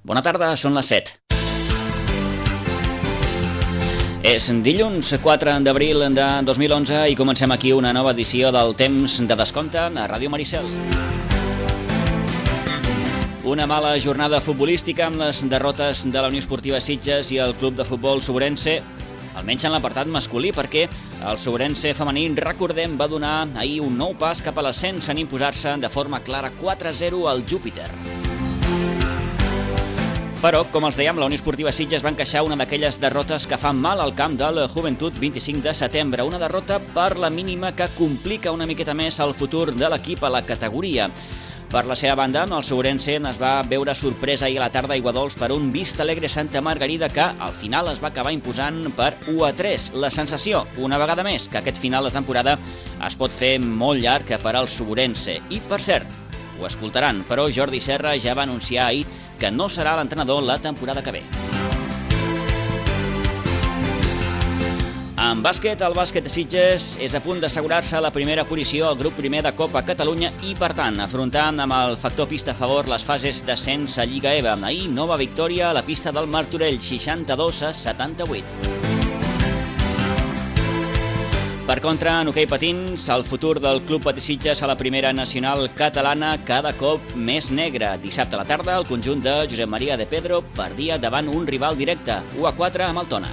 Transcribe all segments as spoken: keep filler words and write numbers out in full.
Bona tarda, són les set. És dilluns quatre d'abril de dos mil onze i comencem aquí una nova edició del Temps de Descompte a Ràdio Maricel. Una mala jornada futbolística amb les derrotes de la Unió Esportiva Sitges i el Club de Futbol Sobrense, almenys en l'apartat masculí, perquè el Sobrense femení, recordem, va donar ahir un nou pas cap a l'ascens en imposar-se de forma clara quatre a zero al Júpiter. Però, com els dèiem, la Unió Esportiva Sitges va encaixar una d'aquelles derrotes que fan mal al camp del Joventut vint-i-cinc de setembre. Una derrota per la mínima que complica una miqueta més el futur de l'equip a la categoria. Per la seva banda, el Sobrense es va veure sorpresa ahir a la tarda a Aiguadols per un Vista Alegre Santa Margarida que al final es va acabar imposant per u a tres. La sensació, una vegada més, que aquest final de temporada es pot fer molt llarg per al Sobrense. I, per cert, ho escoltaran, però Jordi Serra ja va anunciar ahir que no serà l'entrenador la temporada que ve. En bàsquet, el bàsquet de Sitges és a punt d'assegurar-se la primera posició al grup primer de Copa Catalunya i, per tant, afrontant amb el factor pista a favor les fases d'ascens a Lliga E V A. Ahir, nova victòria a la pista del Martorell, seixanta-dos a setanta-vuit. Per contra, en hoquei patins, el futur del Club Patí Sitges a la primera nacional catalana cada cop més negre. Dissabte a la tarda, el conjunt de Josep Maria de Pedro perdia davant un rival directe, u a quatre amb el Tona.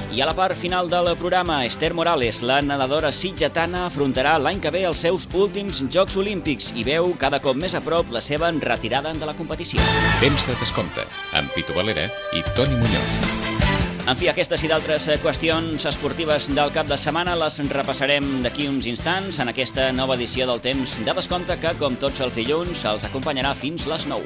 I a la part final del programa, Esther Morales, la nedadora sitgetana, afrontarà l'any que ve els seus últims Jocs Olímpics i veu cada cop més a prop la seva retirada de la competició. Temps de Descompte, amb Pitu Valera i Toni Muñoz. En fi, aquestes i d'altres qüestions esportives del cap de setmana les repassarem d'aquí uns instants en aquesta nova edició del Temps de Descompte que, com tots els dilluns, els acompanyarà fins les nou.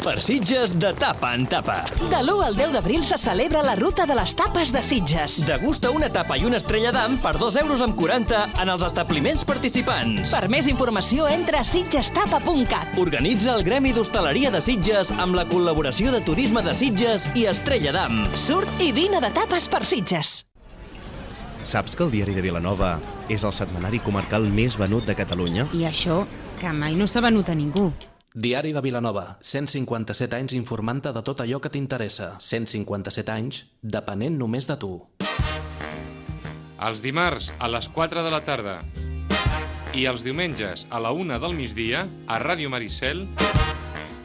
Per Sitges, de tapa en tapa. De l'u al deu d'abril se celebra la Ruta de les Tapes de Sitges. Degusta una tapa i una estrella d'am per dos euros amb quaranta en els establiments participants. Per més informació, entra a sitgestapa punt cat. Organitza el Gremi d'Hostaleria de Sitges amb la col·laboració de Turisme de Sitges i Estrella d'Am. Surt i dina de tapes per Sitges. Saps que el Diari de Vilanova és el setmanari comarcal més venut de Catalunya? I això, que mai no s'ha venut a ningú. Diari de Vilanova, cent cinquanta-set anys informant-te de tot allò que t'interessa. cent cinquanta-set anys, depenent només de tu. Els dimarts a les quatre de la tarda i els diumenges a la una del migdia a Ràdio Maricel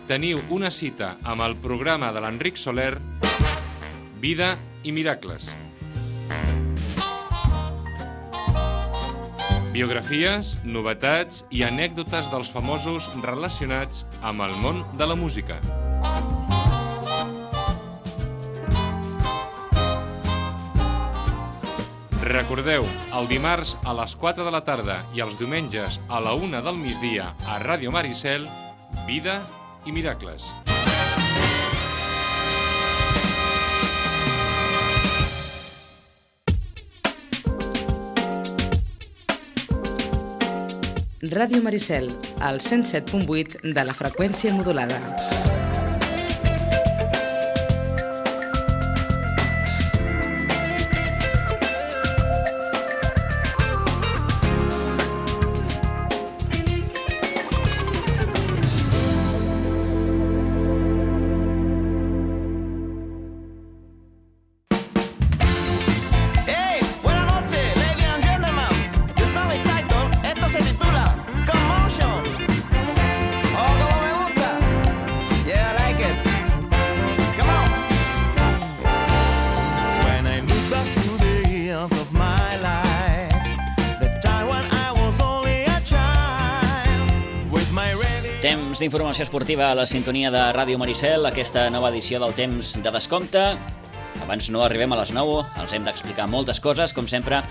teniu una cita amb el programa de l'Enric Soler, Vida i Miracles. Biografies, novetats i anècdotes dels famosos relacionats amb el món de la música. Recordeu, el dimarts a les quatre de la tarda i els diumenges a la una del migdia a Ràdio Maricel, Vida i Miracles. Ràdio Maricel, al cent set punt vuit de la freqüència modulada. D'informació esportiva a la sintonia de Ràdio Maricel, aquesta nova edició del Temps de Descompte. Abans no arribem a les nou, els hem d'explicar moltes coses, com sempre,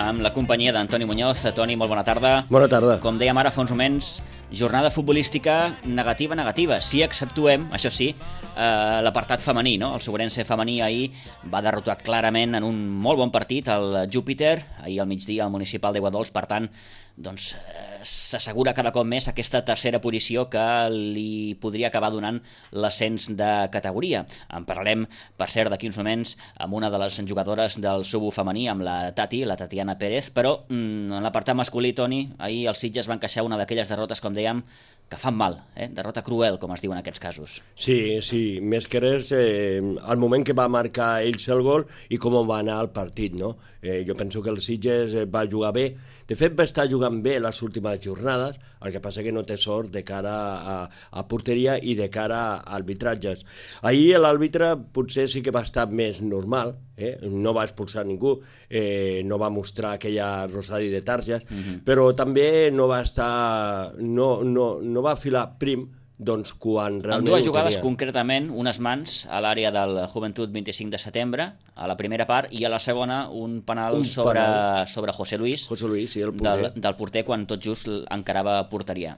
amb la companyia d'Antoni Muñoz. Toni, molt bona tarda. Bona tarda. Com dèiem ara fa uns moments, jornada futbolística negativa, negativa. Si exceptuem, això sí, eh, l'apartat femení, no? El Sobrense femení ahir va derrotar clarament en un molt bon partit el Júpiter, ahir al migdia al Municipal d'Aiguadols, per tant, doncs eh, s'assegura cada cop més aquesta tercera posició que li podria acabar donant l'ascens de categoria. En parlarem, per cert, d'aquí uns moments amb una de les jugadores del Subo femení, amb la Tati, la Tatiana Pérez, però mm, en l'apartat masculí, Toni, ahir els Sitges van encaixar una d'aquelles derrotes, com dèiem, que fan mal, eh? Derrota cruel, com es diu en aquests casos. Sí, sí, més que res, eh, el moment que va marcar ells el gol i com va anar el partit, no? Eh, jo penso que el Sitges va jugar bé, de fet va estar jugant bé les últimes jornades, el que passa que no té sort de cara a, a porteria i de cara a arbitratges. Ahir l'àrbitre potser sí que va estar més normal, eh? No va expulsar ningú, eh, no va mostrar aquella rosari de targes, uh-huh. però també no va estar, no, no, no va filar prim, doncs quan realment... En dues jugades concretament, unes mans a l'àrea del Joventut vint-i-cinc de setembre, a la primera part, i a la segona un penal, un sobre, penal. sobre José Luis, José Luis sí, el porter. Del, del porter quan tot just encarava porteria.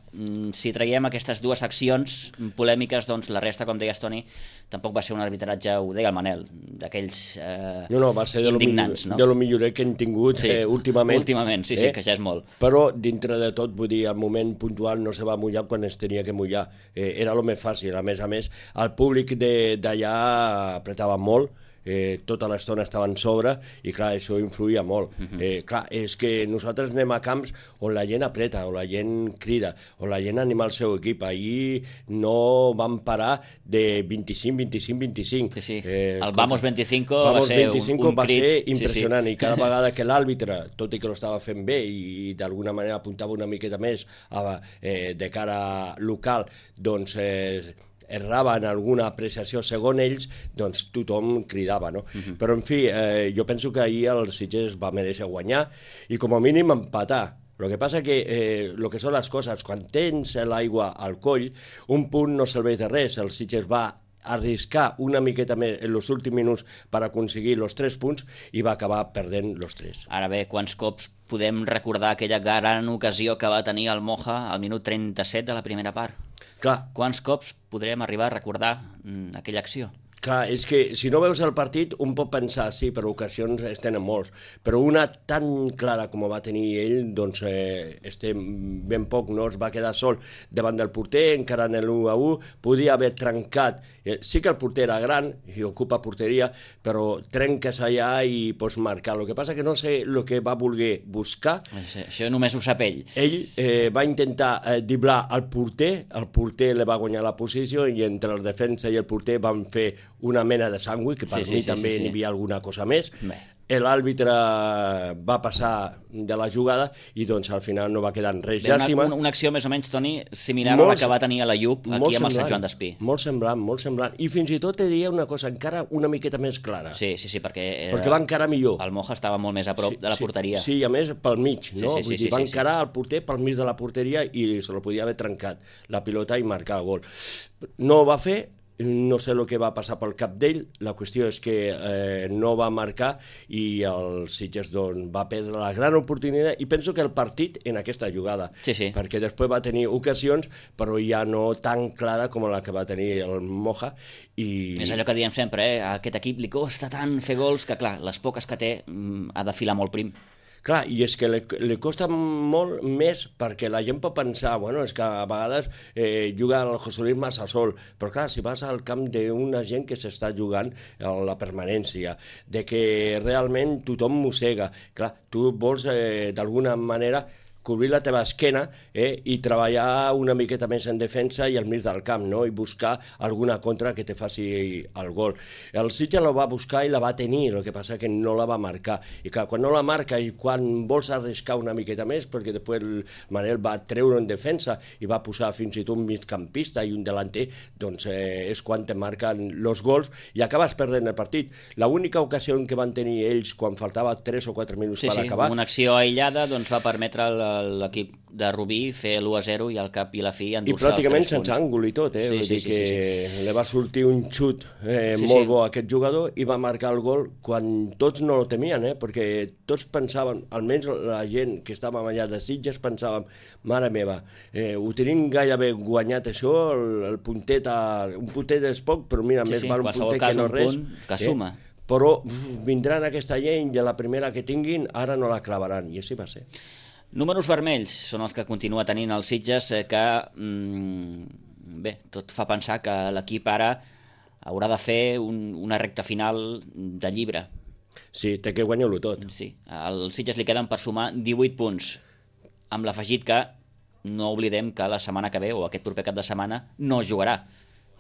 Si traiem aquestes dues accions polèmiques, doncs la resta, com deies, Toni, tampoc va ser un arbitratge, ho deia el Manel, d'aquells eh, no, no, va ser indignants. De lo millorer que hem tingut sí, eh, últimament. Últimament, sí, eh? sí, que ja és molt. Però dintre de tot, vull dir, al moment puntual no se va mullar quan es tenia que mullar. Eh, era el més fàcil, a més a més, el públic d'allà apretava molt, eh, tota l'estona estaven sobre i clar, això influïa molt. Uh-huh. eh, clar, és que nosaltres anem a camps on la gent apreta, on la gent crida, on la gent anima el seu equip. Ahir no van parar de vint-i-cinc, vint-i-cinc, vint-i-cinc. Sí, sí. Eh, el Vamos vint-i-cinc va Vamos ser vint-i-cinc un, un va crit. ser impressionant, sí, sí. I cada vegada que l'àrbitre, tot i que ho estava fent bé i d'alguna manera apuntava una miqueta més a, eh, de cara local, doncs eh, errava en alguna apreciació segons ells, doncs tothom cridava, no? Uh-huh. Però, en fi, eh, jo penso que ahir el Sitges va mereixer guanyar i com a mínim empatar. El que passa que eh, el que són les coses, quan tens l'aigua al coll, un punt no serveix de res. El Sitges va arriscar una miqueta més en els últims minuts per aconseguir els tres punts i va acabar perdent els tres. Ara bé, quants cops podem recordar aquella gran ocasió que va tenir el Moja al minut trenta-set de la primera part? Clar. Quants cops podrem arribar a recordar mm, aquella acció? Clar, és que si no veus el partit, un pot pensar, sí, però ocasions es tenen molts, però una tan clara com va tenir ell, doncs eh, estem ben poc, no? Es va quedar sol davant del porter, encara en l'u a u, podia haver trencat, eh, sí que el porter era gran i ocupa porteria, però trenques allà i pots marcar. El que passa que no sé el que va voler buscar. Això, això només ho sap ell. Ell eh, va intentar eh, driblar el porter, el porter li va guanyar la posició i entre el defensa i el porter van fer una mena de sàndwich, que per sí, mi sí, també sí, sí. N'hi havia alguna cosa més. Bé. L'àrbitre va passar de la jugada i doncs al final no va quedar res. Bé, llàstima. Una, una acció més o menys, Toni, similar molt, a la que va tenir a la Llup aquí amb semblant, el Sant Joan d'Espí. Molt semblant, molt semblant. I fins i tot te diria una cosa encara una miqueta més clara. Sí, sí, sí, perquè... Era... Perquè va encarar millor. El Moja estava molt més a prop sí, de la sí, porteria. Sí, i a més pel mig, no? Sí, sí, sí, Vull dir, sí, va sí, encarar sí. el porter pel mig de la porteria i se lo podia haver trencat la pilota i marcar el gol. No ho va fer. No sé el que va passar pel cap d'ell, la qüestió és que eh, no va marcar i el Sitges doncs, va perdre la gran oportunitat i penso que el partit en aquesta jugada, sí, sí. perquè després va tenir ocasions però ja no tan clara com la que va tenir el Moja. I... És allò que diem sempre, eh? A aquest equip li costa tant fer gols que clar, les poques que té ha de filar molt prim. Clar, i és que li, li costa molt més perquè la gent pot pensar, bueno, és que a vegades eh, juga el José Luis massa sol, però clar, si vas al camp d'una gent que s'està jugant a la permanència, de que realment tothom mossega, clar, tu vols eh, d'alguna manera cobrir la teva esquena eh, i treballar una miqueta més en defensa i al mig del camp, no? I buscar alguna contra que te faci el gol. El Sitges la va buscar i la va tenir, el que passa que no la va marcar. I clar, quan no la marca i quan vols arriscar una miqueta més, perquè després el Manel va treure en defensa i va posar fins i tot un migcampista i un delanter, doncs eh, és quan te marquen els gols i acabes perdent el partit. L'única ocasió que van tenir ells quan faltava tres o quatre minuts sí, per sí, acabar... una acció aïllada doncs, va permetre el l'equip de Rubí fer l'u a zero i al cap i la fi I endur-se els pràcticament tres sense punts. àngul i tot, eh? Sí, Vull sí, dir sí, que sí, sí. li va sortir un xut eh, Sí, molt sí. bo a aquest jugador i va marcar el gol quan tots no lo temien, eh? Perquè tots pensaven, almenys la gent que estàvem allà de Sitges, pensàvem, mare meva, eh, ho tenim gairebé guanyat això, el, el puntet, a, un puntet és poc, però mira, Sí, més sí, val un qualsevol puntet cas, que no un res. punt que suma. Però uf, vindran aquesta gent i de la primera que tinguin ara no la clavaran, i així va ser. Números vermells són els que continua tenint els Sitges, eh, que, mm, bé, tot fa pensar que l'equip ara haurà de fer un, una recta final de llibre. Sí, té que guanyar-lo tot. Sí, al Sitges li queden per sumar divuit punts, amb l'afegit que no oblidem que la setmana que ve, o aquest proper cap de setmana, no jugarà,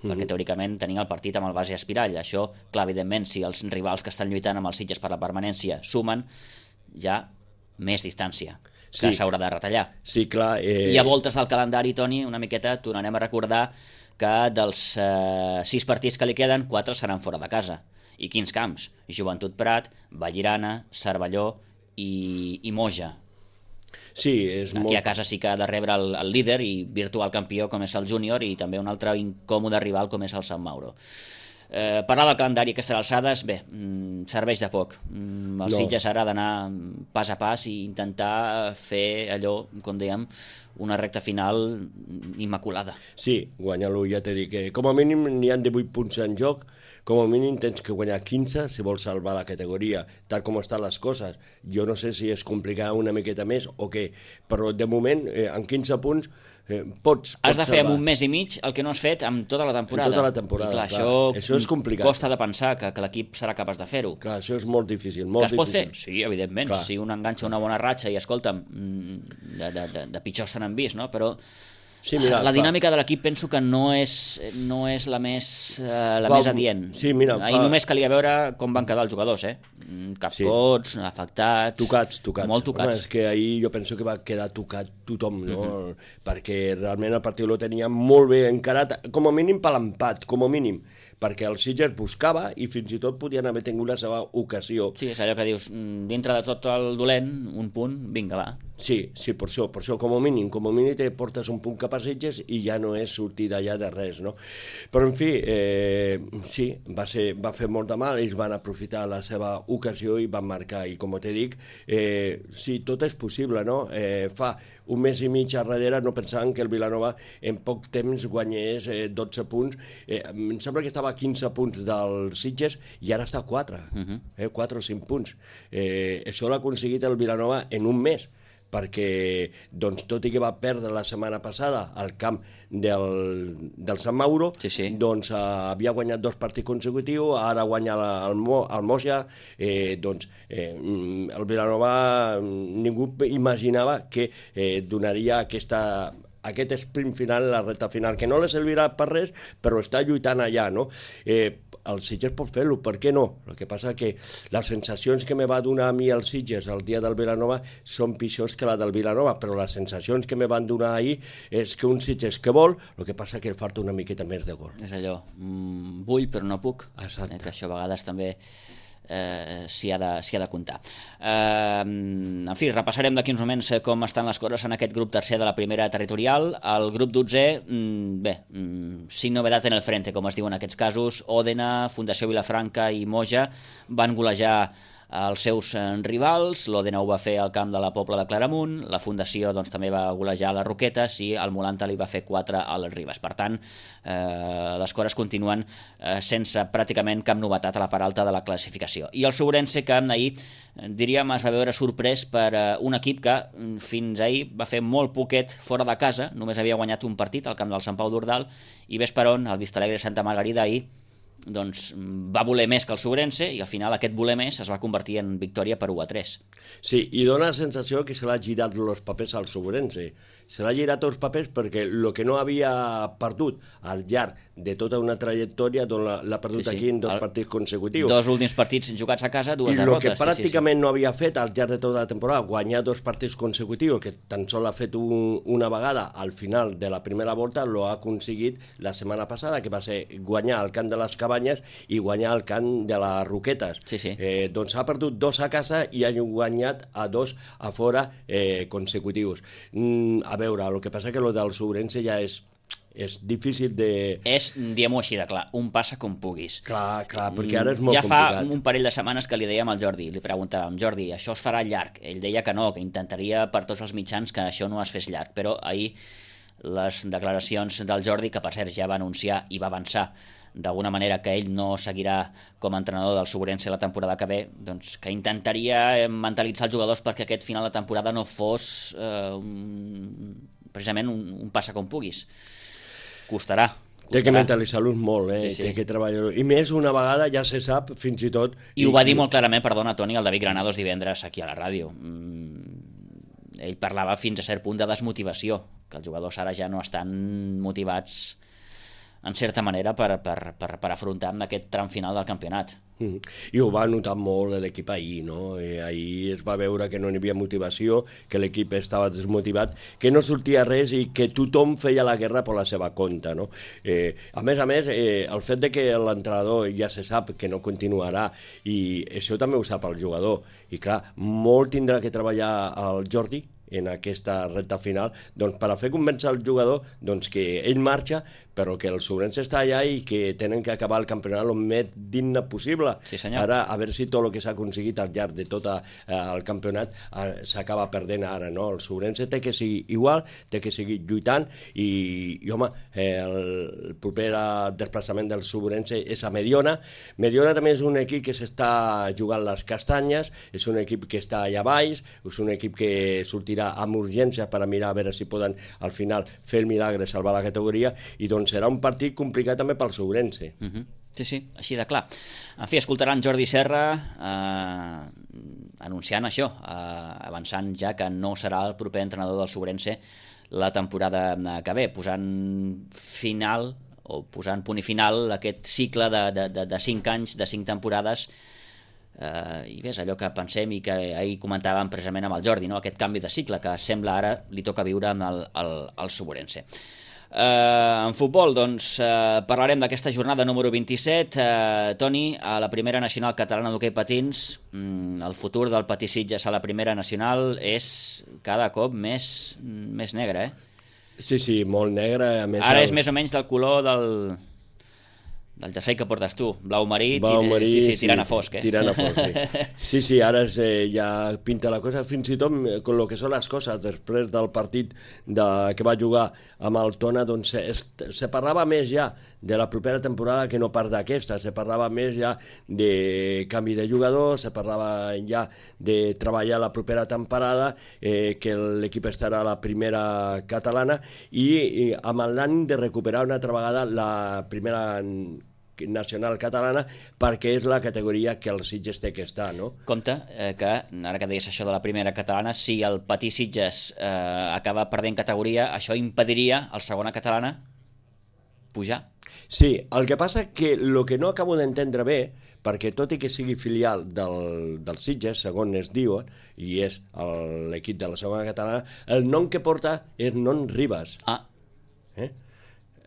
perquè teòricament tenim el partit amb el base Espirall. Això, clar, evidentment, si els rivals que estan lluitant amb els Sitges per la permanència sumen, ja més distància que Sí. s'haurà de retallar. Sí, clar. Eh... I a voltes del calendari, Toni, una miqueta tornarem a recordar que dels eh, sis partits que li queden, quatre seran fora de casa. I quins camps? Joventut Prat, Vallirana, Cervelló i, i Moja. Sí, és Aquí molt... a casa sí que ha de rebre el, el líder i virtual campió com és el júnior i també un altre incòmode rival com és el Sant Mauro. Eh, parlar del calendari a aquestes alçades, bé, mm, serveix de poc. Mm, el No. Sitges ara ha d'anar pas a pas i intentar fer allò, com dèiem, una recta final immaculada. Sí, guanyar-lo, ja t'he dit que com a mínim n'hi ha divuit punts en joc, com a mínim tens que guanyar quinze si vols salvar la categoria, tal com estan les coses. Jo no sé si es complicarà una miqueta més o què, però de moment, eh, en quinze punts, eh, pots, pots Has de fer salvar. en un mes i mig el que no has fet amb tota la temporada. En tota la temporada, I clar, clar. això, Això és complicat. costa de pensar que, que l'equip serà capaç de fer-ho. Clar, això és molt difícil, molt Que es pot difícil. fer? Sí, evidentment. Clar. Si un enganxa una bona ratxa i, escolta'm, mm, de, de, de, de pitjors se n'han vist, no? Però Sí, mira, la fa- dinàmica de l'equip penso que no és, no és la més, eh, la Fa- més adient. sí, mira, Ahir fa- només calia veure com van quedar els jugadors, eh? Mm, Capcots, sí. afectats... Tocats, tocats. Molt tocats. Home, és que ahir jo penso que va quedar tocat tothom, no? Uh-huh. Perquè realment el partit lo tenia molt bé encarat, com a mínim per l'empat, com a mínim, perquè el Sitges buscava i fins i tot podien haver tingut la seva ocasió. Sí, és allò que dius, mm, dintre de tot el dolent, un punt, vinga, va. Sí, sí, per això, per això, com a mínim, com a mínim te portes un punt cap a Sitges i ja no és sortir d'allà de res, no? Però, en fi, eh, sí, va, ser, va fer molt de mal, ells van aprofitar la seva ocasió i van marcar, i com te dic, eh, sí, tot és possible, no? Eh, fa un mes i mig a darrere no pensaven que el Vilanova en poc temps guanyés eh, dotze punts, eh, em sembla que estava a quinze punts del Sitges i ara està a quatre, uh-huh. eh, quatre o cinc punts. Eh, això l'ha aconseguit el Vilanova en un mes, perquè doncs, tot i que va perdre la setmana passada al camp del, del Sant Mauro, sí, sí. doncs eh, havia guanyat dos partits consecutius, ara guanya la, el, Mo, el Moja, eh, doncs eh, el Vilanova ningú imaginava que eh, donaria aquesta aquest sprint final, la recta final, que no li servirà per res, però està lluitant allà, no? Eh, el Sitges pot fer-lo, per què no? El que passa que les sensacions que me va donar a mi el Sitges el dia del Vilanova són pitjors que la del Vilanova, però les sensacions que me van donar ahir és que un Sitges que vol, el que passa que li falta una miqueta més de gol. És allò, mm, vull però no puc. Exacte. Eh, que això a vegades també eh, s'hi ha, de, s'hi ha de comptar. Eh, en fi, repassarem d'aquí uns moments com estan les coses en aquest grup tercer de la primera territorial. El grup dotzè, mm, bé, mm, sin novedad en el frente, com es diu en aquests casos. Òdena, Fundació Vilafranca i Moja van golejar els seus rivals. L'Òdena ho va fer al camp de la Pobla de Claramunt, la Fundació doncs, també va golejar les Roquetes i el Molanta li va fer quatre al Ribes. Per tant, eh, les coses continuen eh, sense pràcticament cap novetat a la part alta de la classificació. I el Sobrense, que ahir, diríem, es va veure sorprès per eh, un equip que fins ahir va fer molt poquet fora de casa, només havia guanyat un partit al camp del Sant Pau d'Ordal, i ves per on el Vistalegre Santa Margarida ahir doncs va voler més que el Sobrense i al final aquest voler més es va convertir en victòria per u a tres. Sí, i dona la sensació que se l'ha girat els papers al Sobrense. Se l'ha girat els papers perquè el que no havia perdut al llarg de tota una trajectòria doncs l'ha perdut Sí, sí. aquí en dos El- partits consecutius. Dos últims partits jugats a casa, dues I el derrotes. que pràcticament no havia fet al llarg de tota la temporada, guanyar dos partits consecutius, que tan sol ha fet un, una vegada al final de la primera volta, lo ha aconseguit la setmana passada, que va ser guanyar al camp de les Cabanyes i guanyar el camp de les Roquetes. Sí, sí. Eh, doncs ha perdut dos a casa i ha guanyat a dos a fora eh, consecutius. Mm, a veure, el que passa que el del Sobrense ja és és difícil de... És, diguem-ho així de clar, un passa com puguis. Clar, clar, perquè ara és molt ja complicat. Ja fa un parell de setmanes que li dèiem al Jordi, li preguntàvem, Jordi, això es farà llarg? Ell deia que no, que intentaria per tots els mitjans que això no es fes llarg, però ahir les declaracions del Jordi, que per cert ja va anunciar i va avançar d'alguna manera que ell no seguirà com a entrenador del Sobrense la temporada que ve, doncs que intentaria mentalitzar els jugadors perquè aquest final de temporada no fos eh, un, precisament un, un passa com puguis. Costarà. Costarà. Té que mentalitzar-los molt, eh? Sí, sí. Té que treballar-ho. I més, una vegada ja se sap, fins i tot... I, I ho va dir molt clarament, perdona, Toni, el David Granados divendres aquí a la ràdio. Mm, ell parlava fins a cert punt de desmotivació, que els jugadors ara ja no estan motivats en certa manera per, per, per, per afrontar amb aquest tram final del campionat. Mm. I ho va notar molt l'equip ahir, no? Eh, ahir es va veure que no hi havia motivació, que l'equip estava desmotivat, que no sortia res i que tothom feia la guerra per la seva compte, no? Eh, a més a més, eh, el fet de que l'entrenador ja se sap que no continuarà i això també ho sap el jugador i clar, molt tindrà que treballar el Jordi en aquesta recta final, doncs per a fer convèncer el jugador doncs que ell marxa, però que el Sobrense està allà i que tenen que acabar el campionat el més digne possible. Sí, senyor. Ara, a veure si tot el que s'ha aconseguit al llarg de tot eh, el campionat eh, s'acaba perdent ara, no? El Sobrense té que seguir igual, té que seguir lluitant i, i home, eh, el proper desplaçament del Sobrense és a Mediona. Mediona també és un equip que s'està jugant les castanyes, és un equip que està allà baix, és un equip que sortirà amb urgència per a mirar a veure si poden al final fer el milagre, salvar la categoria, i doncs serà un partit complicat també pel Sobrense. Uh -huh. Sí, sí, així de clar. En fi, escoltaran Jordi Serra eh, anunciant això, eh, avançant ja que no serà el proper entrenador del Sobrense la temporada que ve, posant final o posant punt i final a aquest cicle de, de, de, de cinc anys, de cinc temporades. Uh, i és allò que pensem i que ahir comentàvem precisament amb el Jordi, no? Aquest canvi de cicle que sembla ara li toca viure amb el, el, el Sobrense. Uh, en futbol, doncs, uh, parlarem d'aquesta jornada número vint-i-set. Uh, Toni, a la primera nacional catalana d'hoquei patins, um, el futur del Patí Sitges a la primera nacional és cada cop més, més negre, eh? Sí, sí, molt negre. A més, ara el... és més o menys del color del... del jersei que portes tu, blau marí, blau marí sí, sí, sí, tirant a fosc, eh? Tirant a fosc, sí. Sí, sí, ara es, eh, ja pinta la cosa, fins i tot con lo que són les coses, després del partit de, que va jugar amb el Tona, doncs se, se parlava més ja de la propera temporada que no pas d'aquesta, se parlava més ja de canvi de jugadors, se parlava ja de treballar la propera temporada, eh, que l'equip estarà a la primera catalana i, i amb l'any de recuperar una altra vegada la primera nacional catalana, perquè és la categoria que el Sitges té que estar, no? Compte eh, que, ara que deies això de la primera catalana, si el Patí Sitges eh, acaba perdent categoria, això impediria al segona catalana pujar. Sí, el que passa que el que no acabo d'entendre bé, perquè tot i que sigui filial del, del Sitges, segons es diu, i és l'equip de la segona catalana, el nom que porta és Non Ribas. Ah. Eh?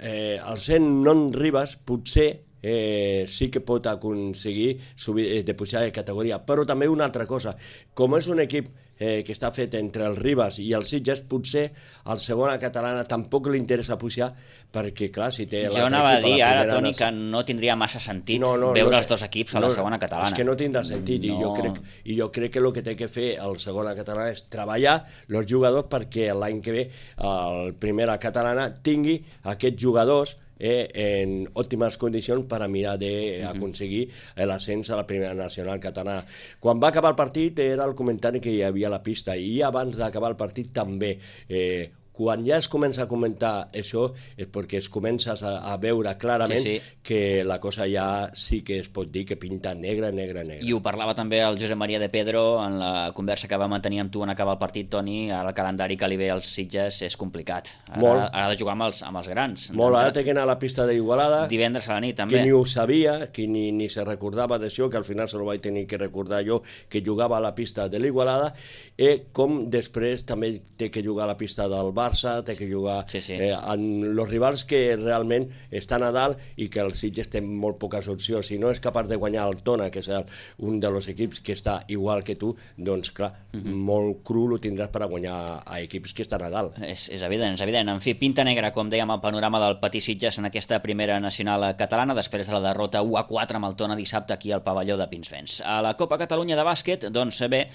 Eh, el sent Non Ribas potser eh, sí que pot aconseguir subir, eh, de pujar de categoria, però també una altra cosa, com és un equip eh, que està fet entre el Ribas i el Sitges, potser al segona catalana tampoc li interessa pujar, perquè clar, si té... Jo anava a dir ara, Toni, que no tindria massa sentit no, no, veure no, els dos equips a la no, segona catalana. És que no tindrà sentit, no. i, jo crec, i jo crec que el que té que fer el segona catalana és treballar els jugadors perquè l'any que ve el primera catalana tingui aquests jugadors Eh, en òptimes condicions per a mirar d'aconseguir l'ascens a la primera nacional catalana. Quan va acabar el partit era el comentari que hi havia a la pista, i abans d'acabar el partit també. Eh, quan ja es comença a comentar això és perquè es comences a, a veure clarament sí, sí. que la cosa ja sí que es pot dir que pinta negra, negra, negra. I ho parlava també el Josep Maria de Pedro en la conversa que va mantenir amb tu en acabar el partit, Toni. Ara el calendari que li ve als Sitges és complicat. Ara, ara ha de jugar amb els, amb els grans. Molt, ara té que anar a la pista d'Igualada. Divendres a la nit, també. Que ni ho sabia, que ni, ni se recordava d'això, que al final se lo vaig tenir que recordar jo, que jugava a la pista de l'Igualada, i com després també té que jugar a la pista del Bar, Barça, té que jugar sí, sí. Eh, amb els rivals que realment estan a dalt i que el Sitges té molt poques opcions. Si no és capaç de guanyar el Tona, que és el, un dels equips que està igual que tu, doncs clar, uh -huh. molt cru lo tindràs per a guanyar a equips que estan a dalt. És, és evident, és evident. En fi, pinta negra, com dèiem, el panorama del Patí Sitges en aquesta primera nacional catalana, després de la derrota u a quatre amb el Tona dissabte aquí al pavelló de Pinsbens. A la Copa Catalunya de bàsquet, doncs bé,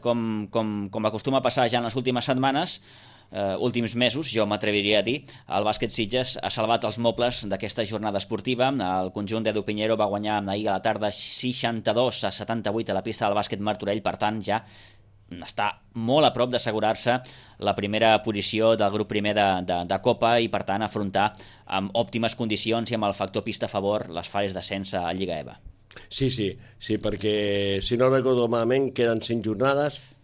com, com, com acostuma a passar ja en les últimes setmanes, Uh, últims mesos, jo m'atreviria a dir, el bàsquet Sitges ha salvat els mobles d'aquesta jornada esportiva. El conjunt d'Edu Pinheiro va guanyar ahir a la tarda seixanta-dos a setanta-vuit a la pista del bàsquet Martorell, per tant ja està molt a prop d'assegurar-se la primera posició del grup primer de, de, de Copa i per tant afrontar amb òptimes condicions i amb el factor pista a favor les fases d'ascens a Lliga E V A. Sí, sí, sí, perquè si no recordo malament queden cinc jornades.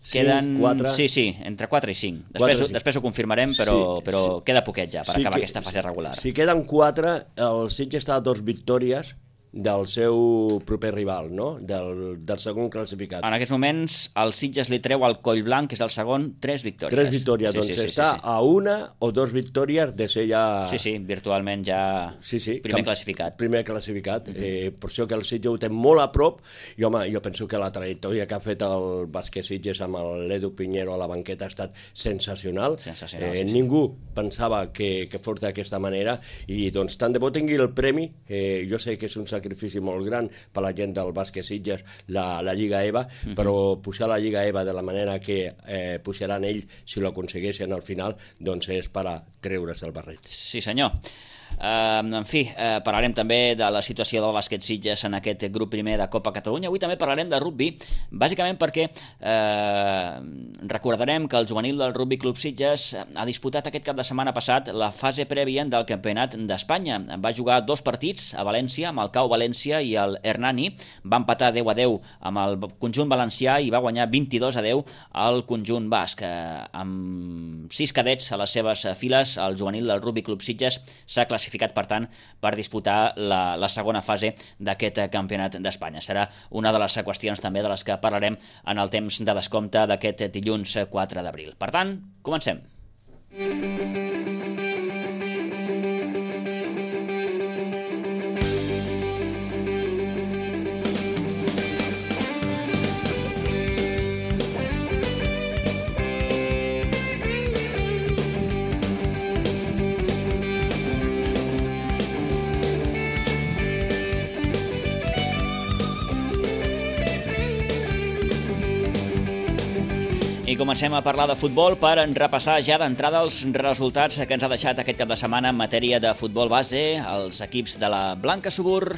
Queden, cinc, quatre... sí, sí, entre quatre i cinc. Després, quatre, després ho confirmarem, però, sí, però sí. queda poquet ja per sí acabar que, aquesta fase regular. Si queden quatre, el Sitges està a dos victòries del seu proper rival, no? Del, del segon classificat. En aquests moments el Sitges li treu al Collblanc, que és el segon, tres victòries. Tres victòries, sí, doncs sí, sí, està sí, sí. a una o dos victòries de ser ja... Sí, sí, virtualment ja sí, sí, primer classificat. Primer classificat, uh -huh. eh, per això que el Sitges ho té molt a prop, i home, jo penso que la trajectòria que ha fet el bàsquet Sitges amb l'Edu Pinheiro a la banqueta ha estat sensacional. Sensacional, eh, sí, sí. Ningú pensava que, que fos d'aquesta manera, i doncs tant de bo tingui el premi, eh, jo sé que és un sacrifici molt gran per la gent del bàsquet Sitges, la, la Lliga E V A, uh-huh. però pujar la Lliga E V A de la manera que eh, pujaran ells si lo aconsegueixen al final, doncs és per a treure's el barret. Sí, senyor. Uh, en fi, uh, parlarem també de la situació del bàsquet Sitges en aquest grup primer de Copa Catalunya. Avui també parlarem de rugby, bàsicament perquè uh, recordarem que el juvenil del Rugby Club Sitges ha disputat aquest cap de setmana passat la fase prèvia del Campionat d'Espanya. Va jugar dos partits a València, amb el Cau València i el Hernani. Va empatar deu a deu amb el conjunt valencià i va guanyar vint-i-dos a deu al conjunt basc. Uh, amb sis cadets a les seves files, el juvenil del Rugby Club Sitges s'ha classificat classificat, per tant, per disputar la, la segona fase d'aquest campionat d'Espanya. Serà una de les qüestions també de les que parlarem en el temps de descompte d'aquest dilluns quatre d'abril. Per tant, comencem. I comencem a parlar de futbol per repassar ja d'entrada els resultats que ens ha deixat aquest cap de setmana en matèria de futbol base, els equips de la Blanca Subur,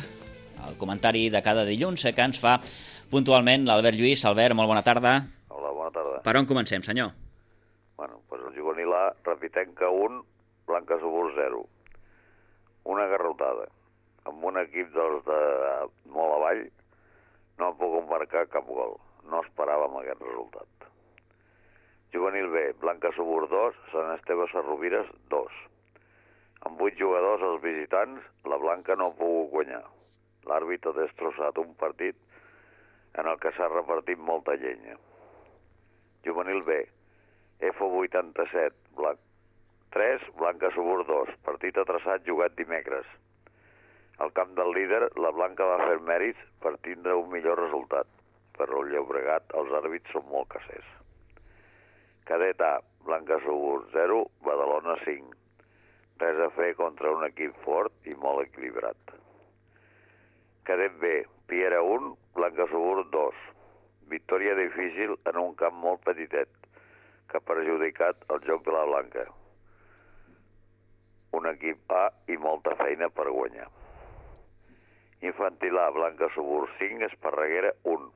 el comentari de cada dilluns que ens fa puntualment l'Albert Lluís. Albert, molt bona tarda. Hola, bona tarda. Per on comencem, senyor? Bueno, doncs el juvenil A, Repitenca un, Blanca Subur zero. Una garrotada. Amb un equip dels de molt avall no han pogut marcar cap gol. No esperàvem aquest resultat. Juvenil B, Blanca Subur dos, Sant Esteve Sarrovires dos. Amb vuit jugadors als visitants, la Blanca no ha pogut guanyar. L'àrbitre ha destrossat un partit en el que s'ha repartit molta llenya. Juvenil B, F vuitanta-set, Blanc... tres, Blanca Subur dos, partit atrasat jugat dimecres. Al camp del líder, la Blanca va fer mèrits per tindre un millor resultat, però el Llobregat, els àrbits són molt casers. Cadet A, Blanca Subur zero, Badalona cinc. Res a fer contra un equip fort i molt equilibrat. Cadet B, Piera un, Blanca Subur dos. Victòria difícil en un camp molt petitet, que ha perjudicat el joc de la Blanca. Un equip A i molta feina per guanyar. Infantil A, Blanca Subur cinc, Esparreguera un.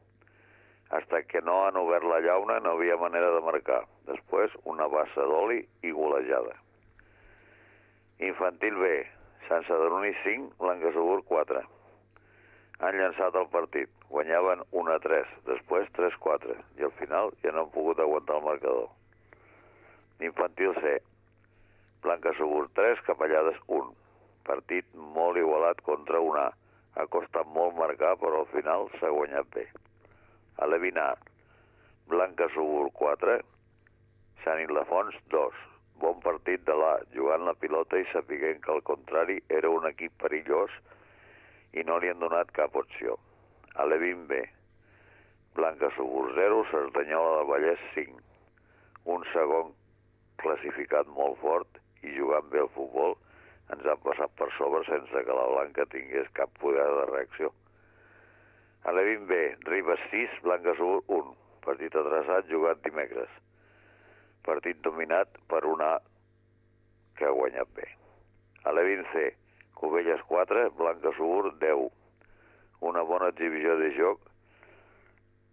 Hasta que no han obert la llauna no havia manera de marcar. Després, una bassa d'oli i golejada. Infantil B, Sant Sadurní cinc, Blanca Subur quatre. Han llançat el partit. Guanyaven un a tres, després tres a quatre. I al final ja no han pogut aguantar el marcador. Infantil C, Blanca Subur tres, Capellades un. Partit molt igualat contra un A. Ha costat molt marcar, però al final s'ha guanyat bé. A l'Evin A, Blanca Subur quatre, Sant Ildefons, dos. Bon partit de l'A, jugant la pilota i sapiguent que al contrari era un equip perillós i no li han donat cap opció. A l'E vint B, Blanca Subur zero, Cerdanyola del Vallès cinc. Un segon classificat molt fort i jugant bé al futbol ens han passat per sobre sense que la Blanca tingués cap poder de reacció. A l'E vint B, Ribes sis, Blanca Subur un. Partit atrasat jugat dimecres. Partit dominat per una A que ha guanyat bé. A l'E vint C, Cubelles quatre, Blanca Subur deu. Una bona exhibició de joc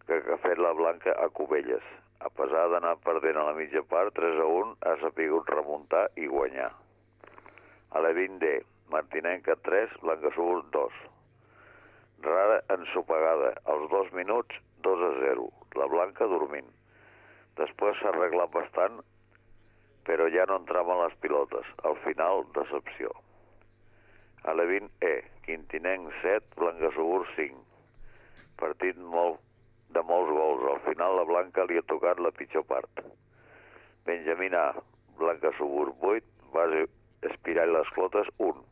que ha fet la Blanca a Cubelles. A pesar d'anar perdent a la mitja part, tres a un, ha sapigut remuntar i guanyar. A l'E vint D, Martinenca tres, Blanca Subur dos. Rara ensopegada, als dos minuts, dos a zero. La Blanca dormint. Després s'ha arreglat bastant, però ja no entraven les pilotes. Al final, decepció. A l'E vint E, Quintinenc set, Blanca Subur cinc. Partit molt, de molts gols. Al final la Blanca li ha tocat la pitjor part. Benjamín A, Blanca Subur vuit, base Espiral les Clotes un.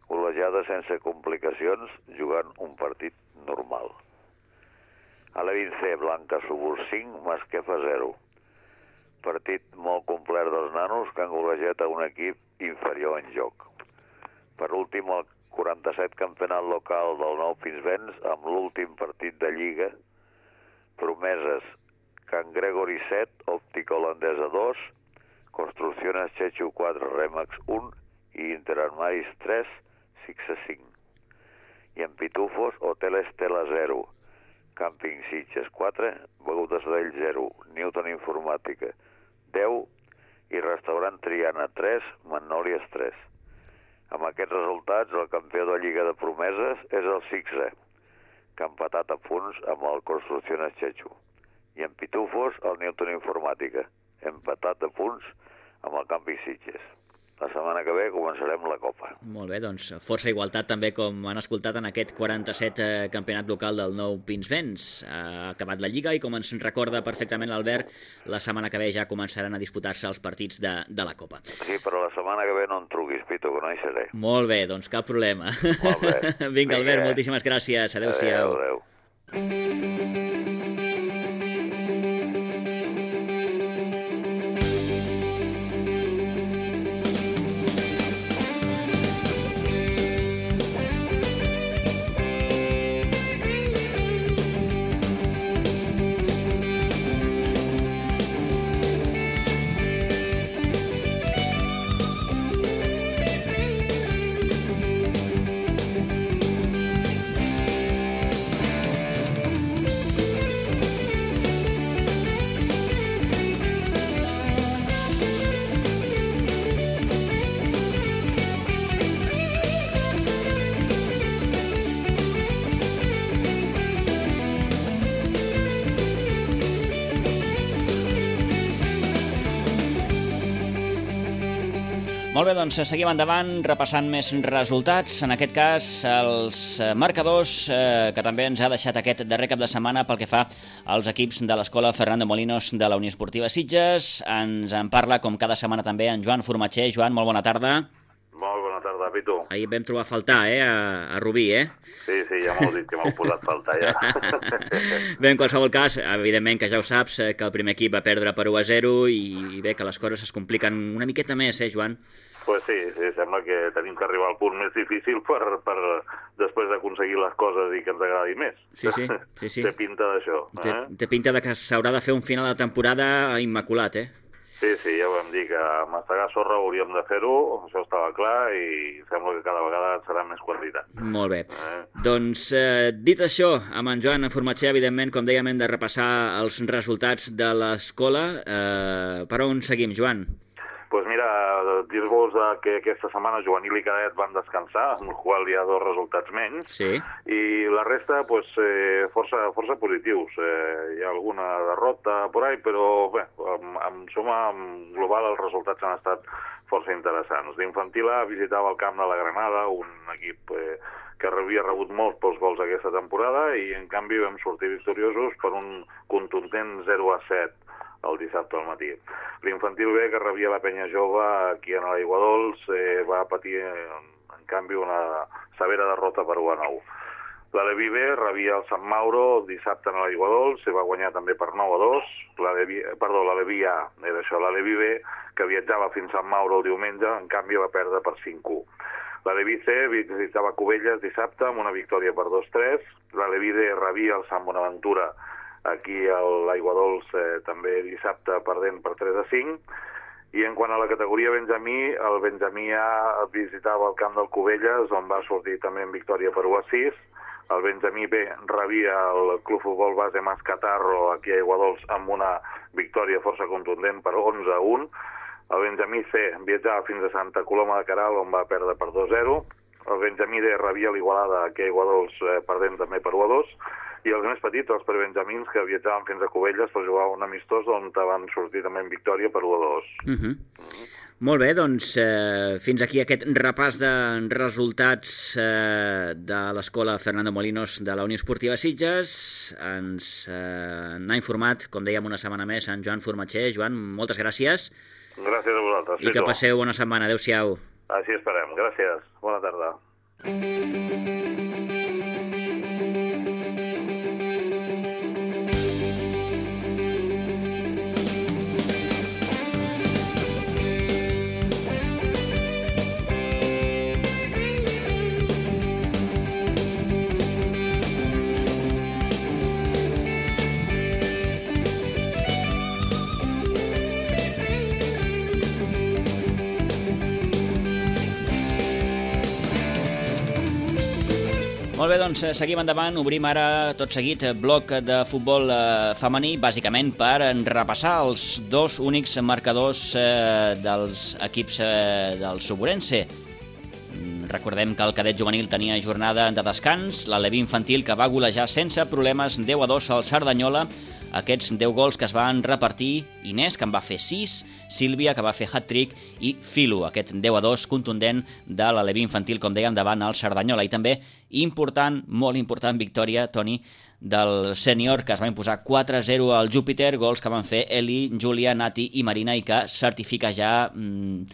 Golejada sense complicacions, jugant un partit normal. A l'E vint C, Blanca Subur cinc, Masquefa zero. Partit molt complet dels nanos que han golejat a un equip inferior en joc. Per últim, el quaranta-set campionat local del Nou Pinsbens, amb l'últim partit de Lliga, Promeses, Can Gregori set, Òptica Holandesa dos, Construcciones Chechu quatre, Remax un i Interarmaris tres, Sixa cinc. I en Pitufos, Hotel Estela zero, Camping Sitges quatre, Begudes d'Ell zero, Newton Informàtica deu i Restaurant Triana tres, Magnòlies tres. Amb aquests resultats, el campió de Lliga de Promeses és el Sixa, que ha empatat a punts amb el Construcciones Chechu. I en Pitufos, el Newton Informàtica, empatat a punts amb el Camping Sitges. La setmana que ve començarem la Copa. Molt bé, doncs força igualtat també, com han escoltat en aquest quaranta-set eh, campionat local del Nou Pinsbens. Ha acabat la Lliga i, com ens recorda perfectament l'Albert, la setmana que ve ja començaran a disputar-se els partits de, de la Copa. Sí, però la setmana que ve no em truquis, Pitu, que no hi seré. Molt bé, doncs cap problema. Molt bé. Vinga, Vinga, Albert, moltíssimes gràcies. Adéu-siau. Adéu, adéu. Molt bé, doncs seguim endavant repassant més resultats. En aquest cas, els marcadors eh, que també ens ha deixat aquest darrer cap de setmana pel que fa als equips de l'Escola Fernando Molinos de la Unió Esportiva Sitges. Ens en parla, com cada setmana també, en Joan Formatxer. Joan, molt bona tarda. Molt bona tarda, Pitu. Ahir vam trobar a faltar, eh, a, a Rubí, eh? Sí, sí, ja m'heu dit que m'heu posat a faltar, ja. Bé, en qualsevol cas, evidentment que ja ho saps, que el primer equip va perdre per u a zero i bé, que les coses es compliquen una miqueta més, eh, Joan? Pues sí, sí, sembla que tenim que arribar al punt més difícil per, per després d'aconseguir les coses i que ens agradi més. Sí, sí, sí, sí. Té pinta d'això. Eh? Té, té pinta de que s'haurà de fer un final de temporada immaculat, eh? Sí, sí, ja ho vam dir, que a mastegar sorra hauríem de fer-ho, això estava clar, i sembla que cada vegada serà més quantitat. Molt bé. Eh? Doncs, eh, dit això, amb en Joan Formatxer, evidentment, com dèiem, hem de repassar els resultats de l'escola. Eh, per on seguim, Joan? Doncs pues mira, dir-vos que aquesta setmana juvenil i cadet van descansar, amb el qual hi ha dos resultats menys, sí. I la resta pues, eh, força, força positius. Eh, hi ha alguna derrota por ahí, però bé, en, en suma, en global, els resultats han estat força interessants. L'Infantil A visitava el camp de la Granada, un equip eh, que havia rebut molts pocs gols aquesta temporada, i en canvi vam sortir victoriosos per un contundent zero a set el dissabte al matí. L'infantil B, que rebia la penya jove aquí a l'Aigua Dols, eh, va patir, en canvi, una severa derrota per u a nou. L'Aleví B rebia el Sant Mauro dissabte a l'Aigua Dols, se va guanyar també per nou a dos. L'Aleví, perdó, l'Aleví A, era això, l'Aleví B, que viatjava fins a Sant Mauro el diumenge, en canvi va perdre per cinc a u. L'Aleví C visitava Cubelles dissabte amb una victòria per dos a tres. L'Aleví D rebia el Sant Bonaventura aquí a l'Aigua Dols eh, també dissabte perdent per tres a cinc. I en quant a la categoria Benjamí, el Benjamí A visitava el camp del Cubelles, on va sortir també en victòria per u a sis. El Benjamí B rebia el Club Futbol Base Mascatarro aquí a Aigua Dols amb una victòria força contundent per onze a un. El Benjamí C viatjava fins a Santa Coloma de Queralt, on va perdre per dos a zero. El Benjamí D rebia l'Igualada aquí a Aigua Dols eh, perdent també per u a dos. I els més petits, els prebenjamins, que viatjaven fins a Cubelles per jugar un amistós, on van sortir també en victòria per u a dos. Uh -huh. Uh -huh. Molt bé, doncs eh, fins aquí aquest repàs de resultats eh, de l'escola Fernando Molinos de la Unió Esportiva Sitges. Ens eh, n'ha informat, com dèiem, una setmana més en Joan Formatxer. Joan, moltes gràcies. Gràcies a vosaltres. I que passeu bona setmana. Adéu-siau. Així esperem. Gràcies. Bona tarda. Molt bé, doncs seguim endavant. Obrim ara tot seguit bloc de futbol eh, femení, bàsicament per repassar els dos únics marcadors eh, dels equips eh, del Suburense. Recordem que el cadet juvenil tenia jornada de descans, l'Aleví infantil que va golejar sense problemes deu a dos al Cerdanyola. Aquests deu gols que es van repartir Inés, que en va fer sis, Sílvia, que va fer hat-trick, i Filo, aquest deu a dos contundent de l'Aleví infantil, com dèiem, davant el Cerdanyola. I també important, molt important victòria, Toni, del sènior, que es va imposar quatre a zero al Júpiter, gols que van fer Eli, Júlia, Nati i Marina, i que certifica ja mmm,